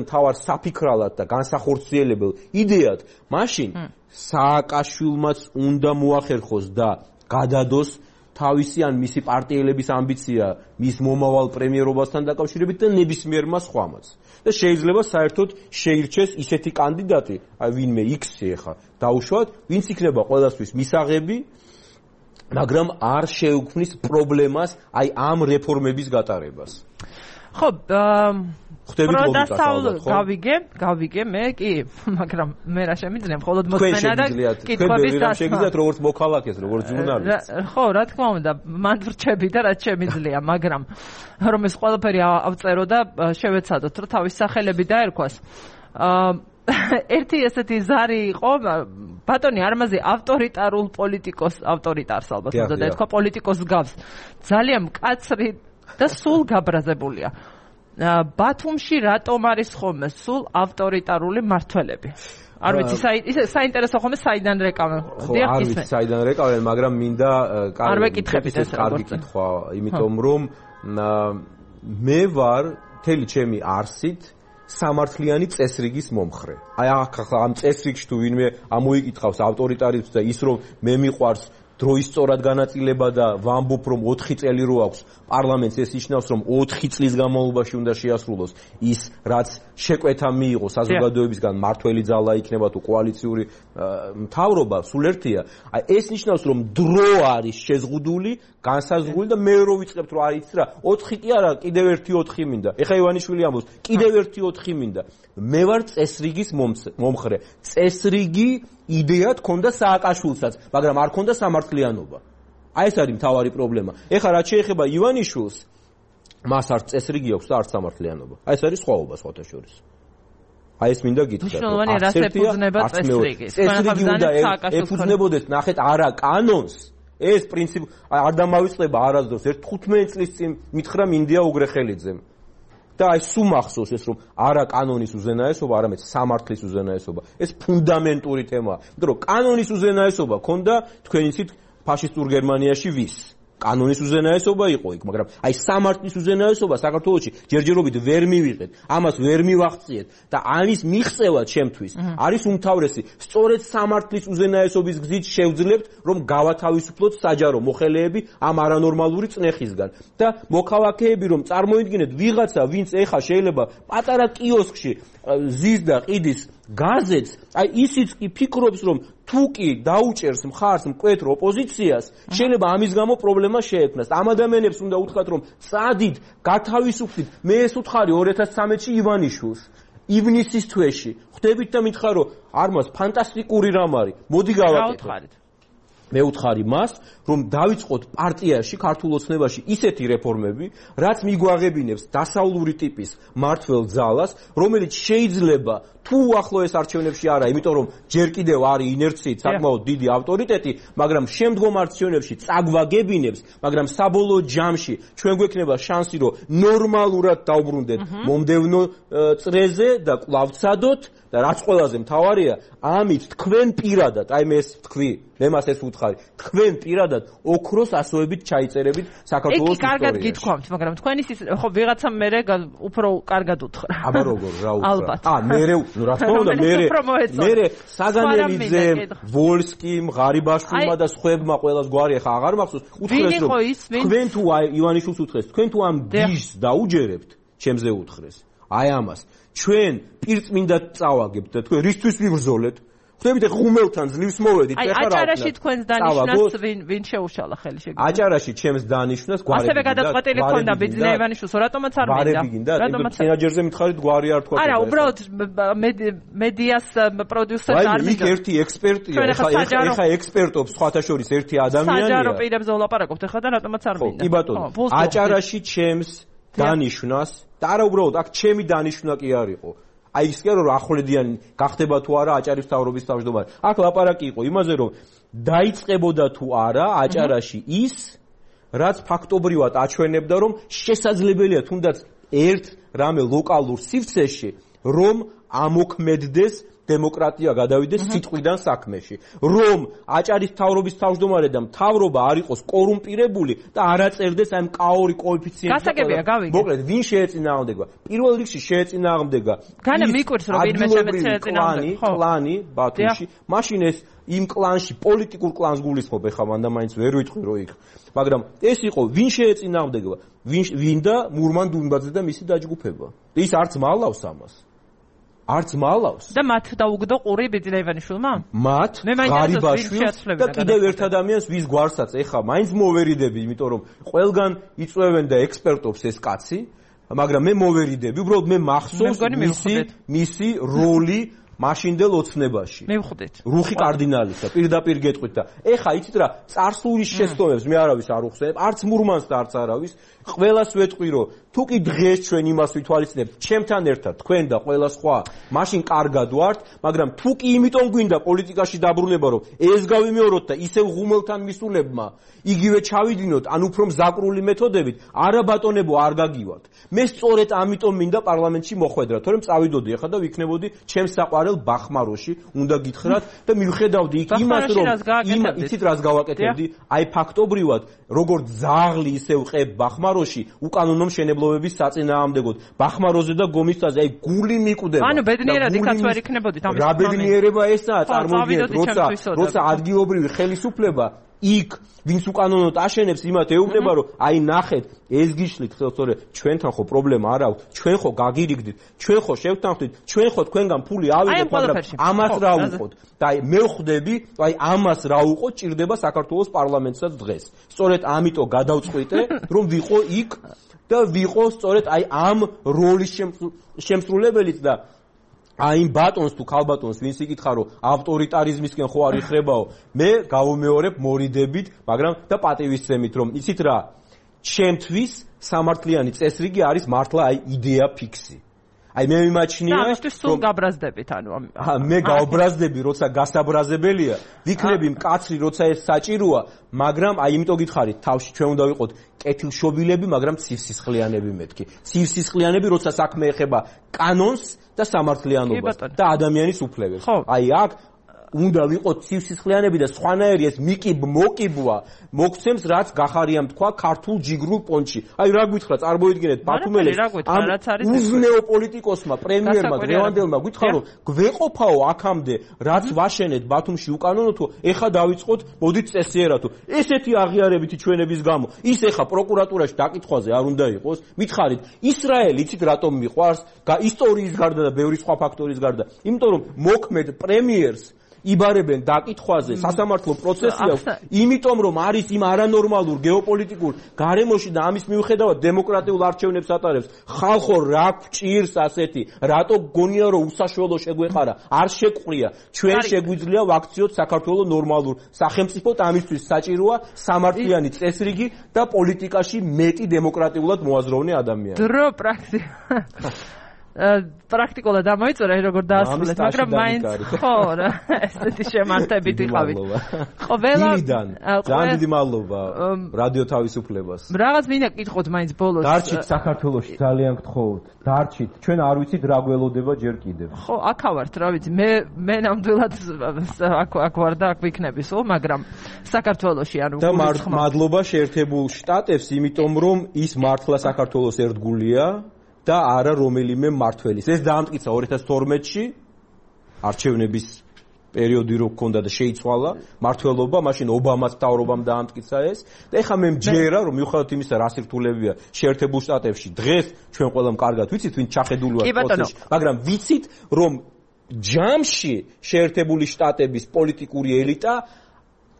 მთავარ საფიქრალად და განსახორციელებელ იდეად, მაშინ სააკაშვილმაც უნდა მოახერხოს და გადადოს თავისი ან მისი პარტიელების ამბიცია მის მომავალ პრემიერობასთან დაკავშირებით და ნებისმიერმა სხვამაც. და შეიძლება საერთოდ შეირჩეს ისეთი კანდიდატი, აი ვინმე X-ი ახლა დაუშვათ, ვინც იქნება ყველასთვის მისაღები, მაგრამ არ შეუქმნის პრობლემას აი ამ რეფორმების გატარებას. ხო, გავიგე მე კი, მაგრამ მე რა შემიძლია, მხოლოდ მოსმენა და კითხვების დასმა. შეგიძლიათ როგორც მოქალაქეს, როგორც ჟურნალისტს. ხო, რა თქმა უნდა, მან ვრჩები და რაც შემიძლია, მაგრამ რომ ეს ყველაფერი ავწერო და შევეცადოთ, რომ თავის სახელები დაერქვას. ერთი ესეთი ზარი იყო, ბატონი არმაზი ავტორიტარულ ავტორიტარს ალბათ უნდა დაეთქვა პოლიტიკოს გავს. ძალიან მკაცრი და სულ გაბრაზებულია. ბათუმში რატომ არის ხოლმე სულ ავტორიტარული მმართველები? არ ვიცი, საინტერესო ხოლმე საიდან რეკავენ. არ ვიცი საიდან რეკავენ, მაგრამ მინდა კარგი კითხვა, იმიტომ რომ მე ვარ მთელი ჩემი არსით სამართლიანი წესრიგის მომხრე. აი ახლა ამ წესრიგში თუ ვინმე ამოიკითხავს ავტორიტარიზმს და ის რომ მე მიყვარს დროის სწორად განაწილება და ვამბობ რომ 4 წელი რო აქვს პარლამენტს ეს ნიშნავს რომ 4 წლის განმავლობაში უნდა შეასრულოს ის რაც შეკვეთა მიიღო საზოგადოებისგან მართველი ძალა იქნება თუ კოალიციური მთავრობა სულ ერთია აი ეს ნიშნავს რომ დრო არის შეზღუდული განსაზღვრული და მე რო ვიწყებთ რომ არის რა 4 კი არა კიდევ ერთი 4 მინდა ეხა ივანიშვილი ამბობს კიდევ ერთი 4 მინდა მე ვარ წესრიგის მომხრე წესრიგი იდეა თქონდა სააკაშვილსაც მაგრამ არ ქონდა სამართლიანობა აი ეს არის მთავარი პრობლემა ეხა რაც შეეხება ივანიშვილს მას არც წესრიგი აქვს და არც სამართლიანობა აი ეს არის სხვაობა სხვათა შორის აი ეს მინდა გითხრათ მნიშვნელოვანი რას ეფუძნება წესრიგი წესრიგი უნდა ეფუძნებოდეს ნახეთ არა კანონს ეს პრინციპ არ დამავიწყდება არასდროს ერთ 15 წლის წინ მითხრა მინდია უგრეხელიძემ და აი სულ მახსოვს ეს რომ არა კანონის უზენაესობა არამედ სამართლის უზენაესობა ეს ფუნდამენტური თემაა იმიტომ რომ კანონის უზენაესობა ქონდა თქვენ იცით ფაშისტურ გერმანიაში ვის კანონის უზენაესობა იყო იქ მაგრამ აი სამართლის უზენაესობა საქართველოში ჯერჯერობით ვერ მივიღეთ ამას ვერ მივახციეთ და ამის მიღწევა ჩემთვის არის უმთავრესი სწორედ სამართლის უზენაესობის გზით შევძლებთ რომ გავათავისუფლოთ საჯარო მოხელეები ამ არანორმალური წნეხისგან და მოქალაქეები რომ წარმოიდგინეთ ვიღაცა ვინც ეხა შეიძლება პატარა კიოსკში ზის და ყიდის გაზეთს აი ისიც კი ფიქრობს რომ თუ კი დაუჭერს მხარს მკვეთრ ოპოზიციას შეიძლება ამის გამო პრობლემა შეექმნას ამ ადამიანებს უნდა უთხრათ რომ წადით გათავისუფლდით მე ეს უთხარი 2013-ში ივანიშვილს ივნისის თვეში ხვდებით და მითხარ რომ არ მას ფანტასტიკური რამ არის მოდი გავაკეთოთ მე უთხარი მას რომ დავიწყოთ პარტიაში ქართულ ოცნებაში ისეთი რეფორმები რაც მიგვაღებინებს დასავლური ტიპის მართველ ძალას რომელიც შეიძლება თუ ახლოეს არჩევნებში არა იმიტომ რომ ჯერ კიდევ არის ინერციით საკმაოდ დიდი ავტორიტეტი მაგრამ შემდგომ არჩევნებში წაგვაგებინებს მაგრამ საბოლოო ჯამში ჩვენ გვექნება შანსი რომ ნორმალურად დავბრუნდეთ მომდევნო წრეზე და კვლავ ვცადოთ და რაც ყველაზე მთავარია ამით თქვენ პირადად აი მე ეს ვთქვი მე მას ეს ვუთხარი თქვენ პირადად ოქროს ასოებით ჩაიწერებით საქართველოს ისტორიაში. კი, კარგად გითქვამთ, მაგრამ თქვენ ის ხო ვიღაცა მერე უფრო კარგად უთხრა. აბა როგორ რა უთხრა? მერე რა თქმა უნდა მერე საგანელიძემ, ვოლსკიმ, ღარიბაშვილმა და სხვებმა ყველას გვარი ახლა აღარ მახსოვს. უთხრეს რომ თქვენ თუ ივანიშვილს უთხრეს, თქვენ თუ ამ გიშს დაუჯერებთ, ჩემზე უთხრეს. აი ამას ჩვენ პირწმინდა წავაგებთ და თქვენ რისთვის ვიბრძოლეთ? ხვდებით ხუმელთან ძლივს მოვედით ეხლა რა აჭარაში თქვენს დანიშნას ვინ შეუშალა ხელი შეგიძლია აჭარაში ჩემს დანიშნას გვარები ასევე გადაწყვეტილი ქონდა ბიძინა ივანიშვილს რატომაც არ მინდა რატომაც სენაჯერზე მითხარით გვარი არ თქვა არა უბრალოდ მედიას პროდიუსერს არ მინდა აი ერთი ექსპერტია ეხა ექსპერტობს სხვათა შორის ერთი ადამიანია საჯარო პირებზე ვლაპარაკობთ ეხლა და რატომაც არ მინდა კი ბატონო აჭარაში ჩემს დანიშნას და არა უბრალოდ აქ ჩემი დანიშნა კი არ იყო აი ის კი რომ ახვლედიანი გახდება თუ არა აჭარის მთავრობის თავმჯდომარე. აქ ლაპარაკი იყო იმაზე რომ დაიწყებოდა თუ არა აჭარაში ის რაც ფაქტობრივად აჩვენებდა რომ შესაძლებელია თუნდაც ერთ რამე ლოკალურ სივრცეში რომ ამოქმედდეს დემოკრატია გადავიდეს სიტყვიდან საქმეში. რომ აჭარის მთავრობის თავმჯდომარე და მთავრობა არ იყოს კორუმპირებული და არ აწერდეს ამ კაორი კოეფიციენტი. გასაგებია, გავიგე. მოკლედ, ვინ შეეწინააღმდეგა? პირველ რიგში შეეწინააღმდეგა. განა მიკვირს რომ ვინმე შეეწინააღმდეგა. კლანი ბათუმში. მაშინ ეს იმ კლანში პოლიტიკურ კლანს გულისხმობ, ეხლა მანდა მაინც ვერ ვიტყვი რო იქ. მაგრამ ეს იყო ვინ შეეწინააღმდეგა? ვინ და მურმან დუნბაძე და მისი დაჯგუფება. ის არც მალავს ამას. არც მალავს და მათ დაუგდო ყური ბიძინა ივანიშვილმა? მათ ღარიბაშვილს და კიდევ ერთ ადამიანს ვის გვარსაც ეხა მაინც მოვერიდები, იმიტომ რომ ყველგან იწვევენ და ექსპერტობს ეს კაცი, მაგრამ მე მოვერიდები, უბრალოდ მე მახსოვს მისი როლი მაშინდელ ოცნებაში. მივხვდით. რუხი კარდინალისა, პირდაპირ გეტყვით და ეხა იცით რა, წარსულის შესტომებს მე არავის არ უხსენებ, არც მურმანს და არც არავის, ყველას ვეტყვი რომ თუ კი დღეს ჩვენ იმას ვითვალისწინებთ, ჩემთან ერთად თქვენ და ყველა სხვა, მაშინ კარგად ვართ, მაგრამ თუ კი იმიტომ გვინდა პოლიტიკაში დაბრუნება, რომ ეს გავიმეოროთ და ისევ ღუმელთან მისულებმა იგივე ჩავიდინოთ, ან უფრო მზაკრული მეთოდებით, არა ბატონებო არ გაგივათ. მე სწორედ ამიტომ მინდა პარლამენტში მოხვედრა, თორემ წავიდოდი ახლა და ვიქნებოდი ჩემს საყვარელ ბახმაროში, უნდა გითხრათ და მივხედავდი იქ იმას, რომ იცით რას გავაკეთებდი? აი ფაქტობრივად, როგორც ძაღლი ისევ ყებ ბახმაროში, უკანონო მშენებლობების საწინააღმდეგოდ, ბახმაროზე და გომისთაზე, აი გული მიკვდება. ანუ ბედნიერად იქაც ვერ იქნებოდით ამის. რა ბედნიერება ესაა, წარმოიდგინეთ, როცა ადგილობრივი ხელისუფლება იქ ვინც უკანონოდ აშენებს იმათ ეუბნება რომ აი ნახეთ ეს გიშლით ხელ ჩვენთან ხო პრობლემა არ აქვს ჩვენ ხო გაგირიგდით ჩვენ ხო შევთანხმდით ჩვენ ხო თქვენგან ფული ავიღეთ მაგრამ ამას რა უყოთ და აი მე ვხვდები აი ამას რა უყოთ ჭირდება საქართველოს პარლამენტსაც დღეს სწორედ ამიტომ გადავწყვიტე რომ ვიყო იქ და ვიყო სწორედ აი ამ როლის შემსრულებელიც და აი ბატონს თუ ქალბატონს ვინც იკითხა რომ ავტორიტარიზმისკენ ხო არ იხრებაო მე გავუმეორებ მორიდებით მაგრამ და პატივისცემით რომ იცით რა ჩემთვის სამართლიანი წესრიგი არის მართლა აი იდეა ფიქსი აი მე მიმაჩნია ამისთვის სულ გაბრაზდებით ანუ მე გავბრაზდები როცა გასაბრაზებელია ვიქნები მკაცრი როცა ეს საჭიროა მაგრამ აი იმიტომ გითხარით თავში ჩვენ უნდა ვიყოთ კეთილშობილები მაგრამ ცივსისხლიანები მეთქი ცივსისხლიანები როცა საქმე ეხება კანონს და სამართლიანობას და ადამიანის უფლებებს აი აქ უნდა ვიყოთ ცივსისხლიანები და სხვანაირი ეს მოკიბვა მოგცემს რაც გახარიამ თქვა ქართულ ჯიგრულ პონჩი აი რა გითხრა წარმოიდგინეთ ბათუმელეს უზნეო პოლიტიკოსმა პრემიერმა გრევანდელმა გითხრა რომ გვეყოფაო აქამდე რაც ვაშენეთ ბათუმში უკანონოთო ეხა დავიწყოთ მოდით წესიერათო ესეთი აღიარებითი ჩვენების გამო ის ეხა პროკურატურაში დაკითხვაზე არ უნდა იყოს მითხარით ისრაელი იცით რატომ მიყვარს ისტორიის გარდა და ბევრი სხვა ფაქტორის გარდა იმიტომ რომ მოქმედ პრემიერს იბარებენ დაკითხვაზე სასამართლო პროცესი აქვს იმიტომ რომ არის იმ არანორმალურ გეოპოლიტიკურ გარემოში და ამის მიუხედავად დემოკრატიულ არჩევნებს ატარებს ხალხო რა გჭირს ასეთი რატო გონია რომ უსაშველო შეგვეყარა არ შეყვრია ჩვენ შეგვიძლია ვაქციოთ საქართველოს ნორმალურ სახელმწიფოდ ამისთვის საჭიროა სამართლიანი წესრიგი და პოლიტიკაში მეტი დემოკრატიულად მოაზროვნე ადამიანი დრო პრაქტიკულად ამოიწურა როგორ დაასრულეთ მაგრამ მაინც ხო რა ესეთი შემართებით იყავით ხო ველიდან ძალიან დიდი მადლობა რადიო თავისუფლებას რაღაც მინდა გითხოთ მაინც ბოლოს დარჩით საქართველოში ძალიან გთხოვთ დარჩით ჩვენ არ ვიცით რა გველოდება ჯერ კიდევ ხო აქ ავართ რა ვიცი მე ნამდვილად აქ ვარ და აქ ვიქნები სულ მაგრამ საქართველოში ანუ და მადლობა შეერთებულ შტატებს იმიტომ რომ ის მართლა საქართველოს ერთგულია და არა რომელიმე მართველის. ეს დაამტკიცა 2012-ში არჩევნების პერიოდი რო გქონდა და შეიცვალა მართველობა, მაშინ ობამას მთავრობამ დაამტკიცა ეს. და ეხლა მე მჯერა რომ მიუხედავად იმისა რა სირთულეებია შეერთებულ შტატებში დღეს ჩვენ ყველამ კარგად ვიცით ვინ ჩახედული ვარ პროცესში, მაგრამ ვიცით რომ ჯამში შეერთებული შტატების პოლიტიკური ელიტა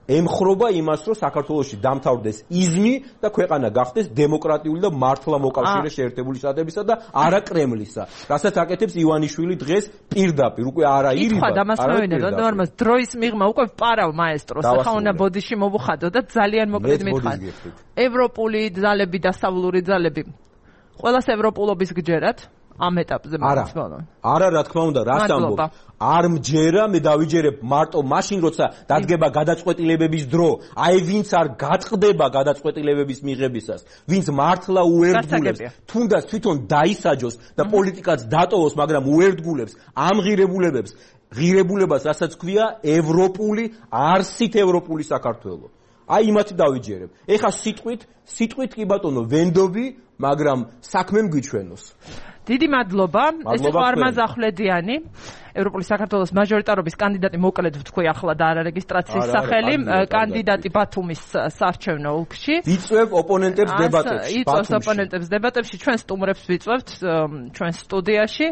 ემხრობა იმას, რომ საქართველოში დამთავრდეს იზმი და ქვეყანა გახდეს დემოკრატიული და მართლა მოკავშირე შეერთებული შტატებისა და არა კრემლისა. რასაც აკეთებს ივანიშვილი დღეს პირდაპირ, უკვე არა ირიბა. ითქვა დამასწრებინებდა ნორმას დროის მიღმა უკვე პარავ მაესტროს, ახლა უნდა ბოდიში მოვუხადო და ძალიან მოკლედ მითხარ. ევროპული ძალები და დასავლური ძალები ყველას ევროპულობის გჯერათ? ამ ეტაპზე მაინც ბოლო. არა, რა თქმა უნდა, რას ამბობ? არ მჯერა, მე დავიჯერებ მარტო მაშინ, როცა დადგება გადაწყვეტილებების დრო. აი ვინც არ გაწყდება გადაწყვეტილებების მიღებისას, ვინც მართლა უერთგულებს, თუნდაც თვითონ დაისაჯოს და პოლიტიკაც დატოვოს, მაგრამ უერთგულებს ამ ღირებულებას, რასაც ქვია ევროპული, არსით ევროპული საქართველო. აი იმათი დავიჯერებ. ეხა სიტყვით კი ბატონო ვენდობი, მაგრამ საქმე მგიჩვენოს. დიდი მადლობა. ეს იყო არმაზ ახვლედიანი, ევროპული საქართველოს მაჟორიტარობის კანდიდატი, მოკლედ ვთქვი ახლა და არა რეგისტრაციის სახელი, კანდიდატი ბათუმის საარჩევნო ოლქში. ვიწვევ ოპონენტებს დებატებში. იწვევს ოპონენტებს დებატებში, ჩვენ სტუმრებს ვიწვევთ ჩვენ სტუდიაში.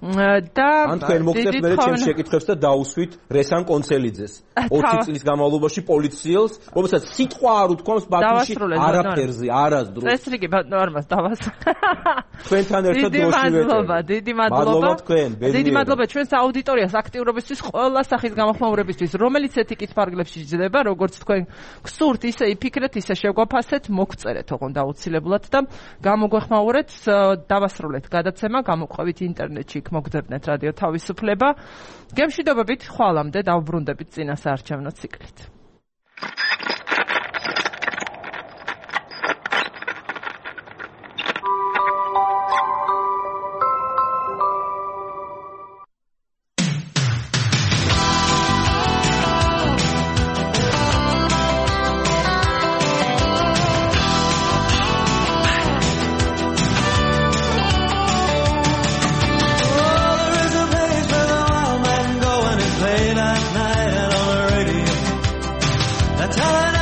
და ან თქვენ მოგწევთ მე ჩემს შეკითხვებს და დაუსვით რესან კონცელიძეს 20 წლის განმავლობაში პოლიციელს, რომელსაც სიტყვა არ უთქვამს ბათუმში არაფერზე, არასდროს. წესრიგი ნორმას დავასრულე. თქვენთან ერთად დროში ვეტყვი. დიდი მადლობა თქვენ, დიდი მადლობა ჩვენს აუდიტორიას აქტიურობისთვის, ყველა სახის გამოხმაურებისთვის, რომელიც ეთიკით ფარგლებში ჯდება, როგორც თქვენ გსურთ, ისე იფიქრეთ, ისე შეგვაფასეთ, მოგწერეთ ოღონდ აუცილებლად და გამოგვეხმაურეთ, დავასრულეთ გადაცემა, გამოყვებით ინტერნეტში მოგძებნეთ რადიო თავისუფლება. გემშვიდობებით, ხვალამდე დავბრუნდებით წინა საარჩევნო ციკლით. Tell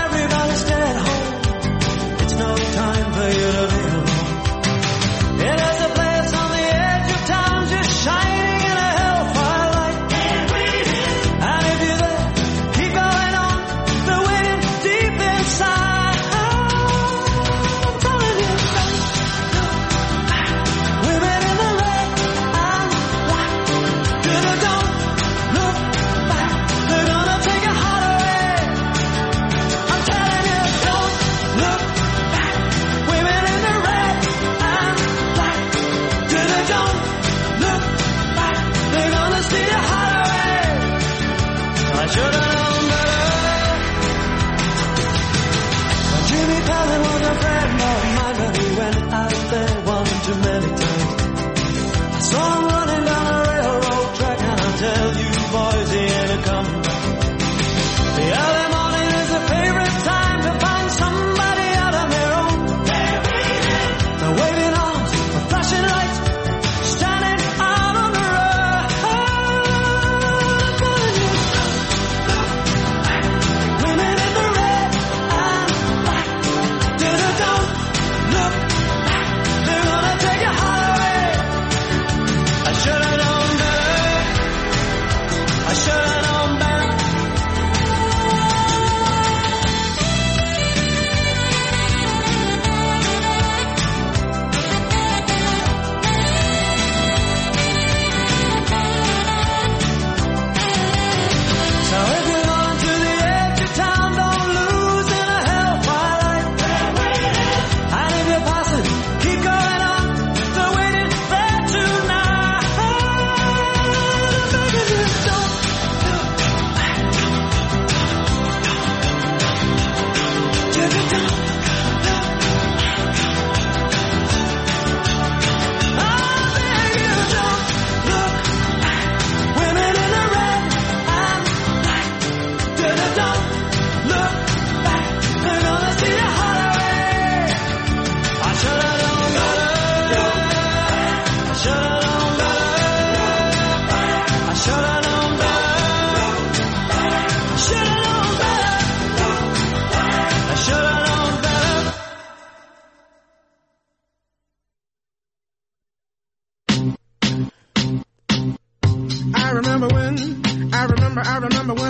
I remember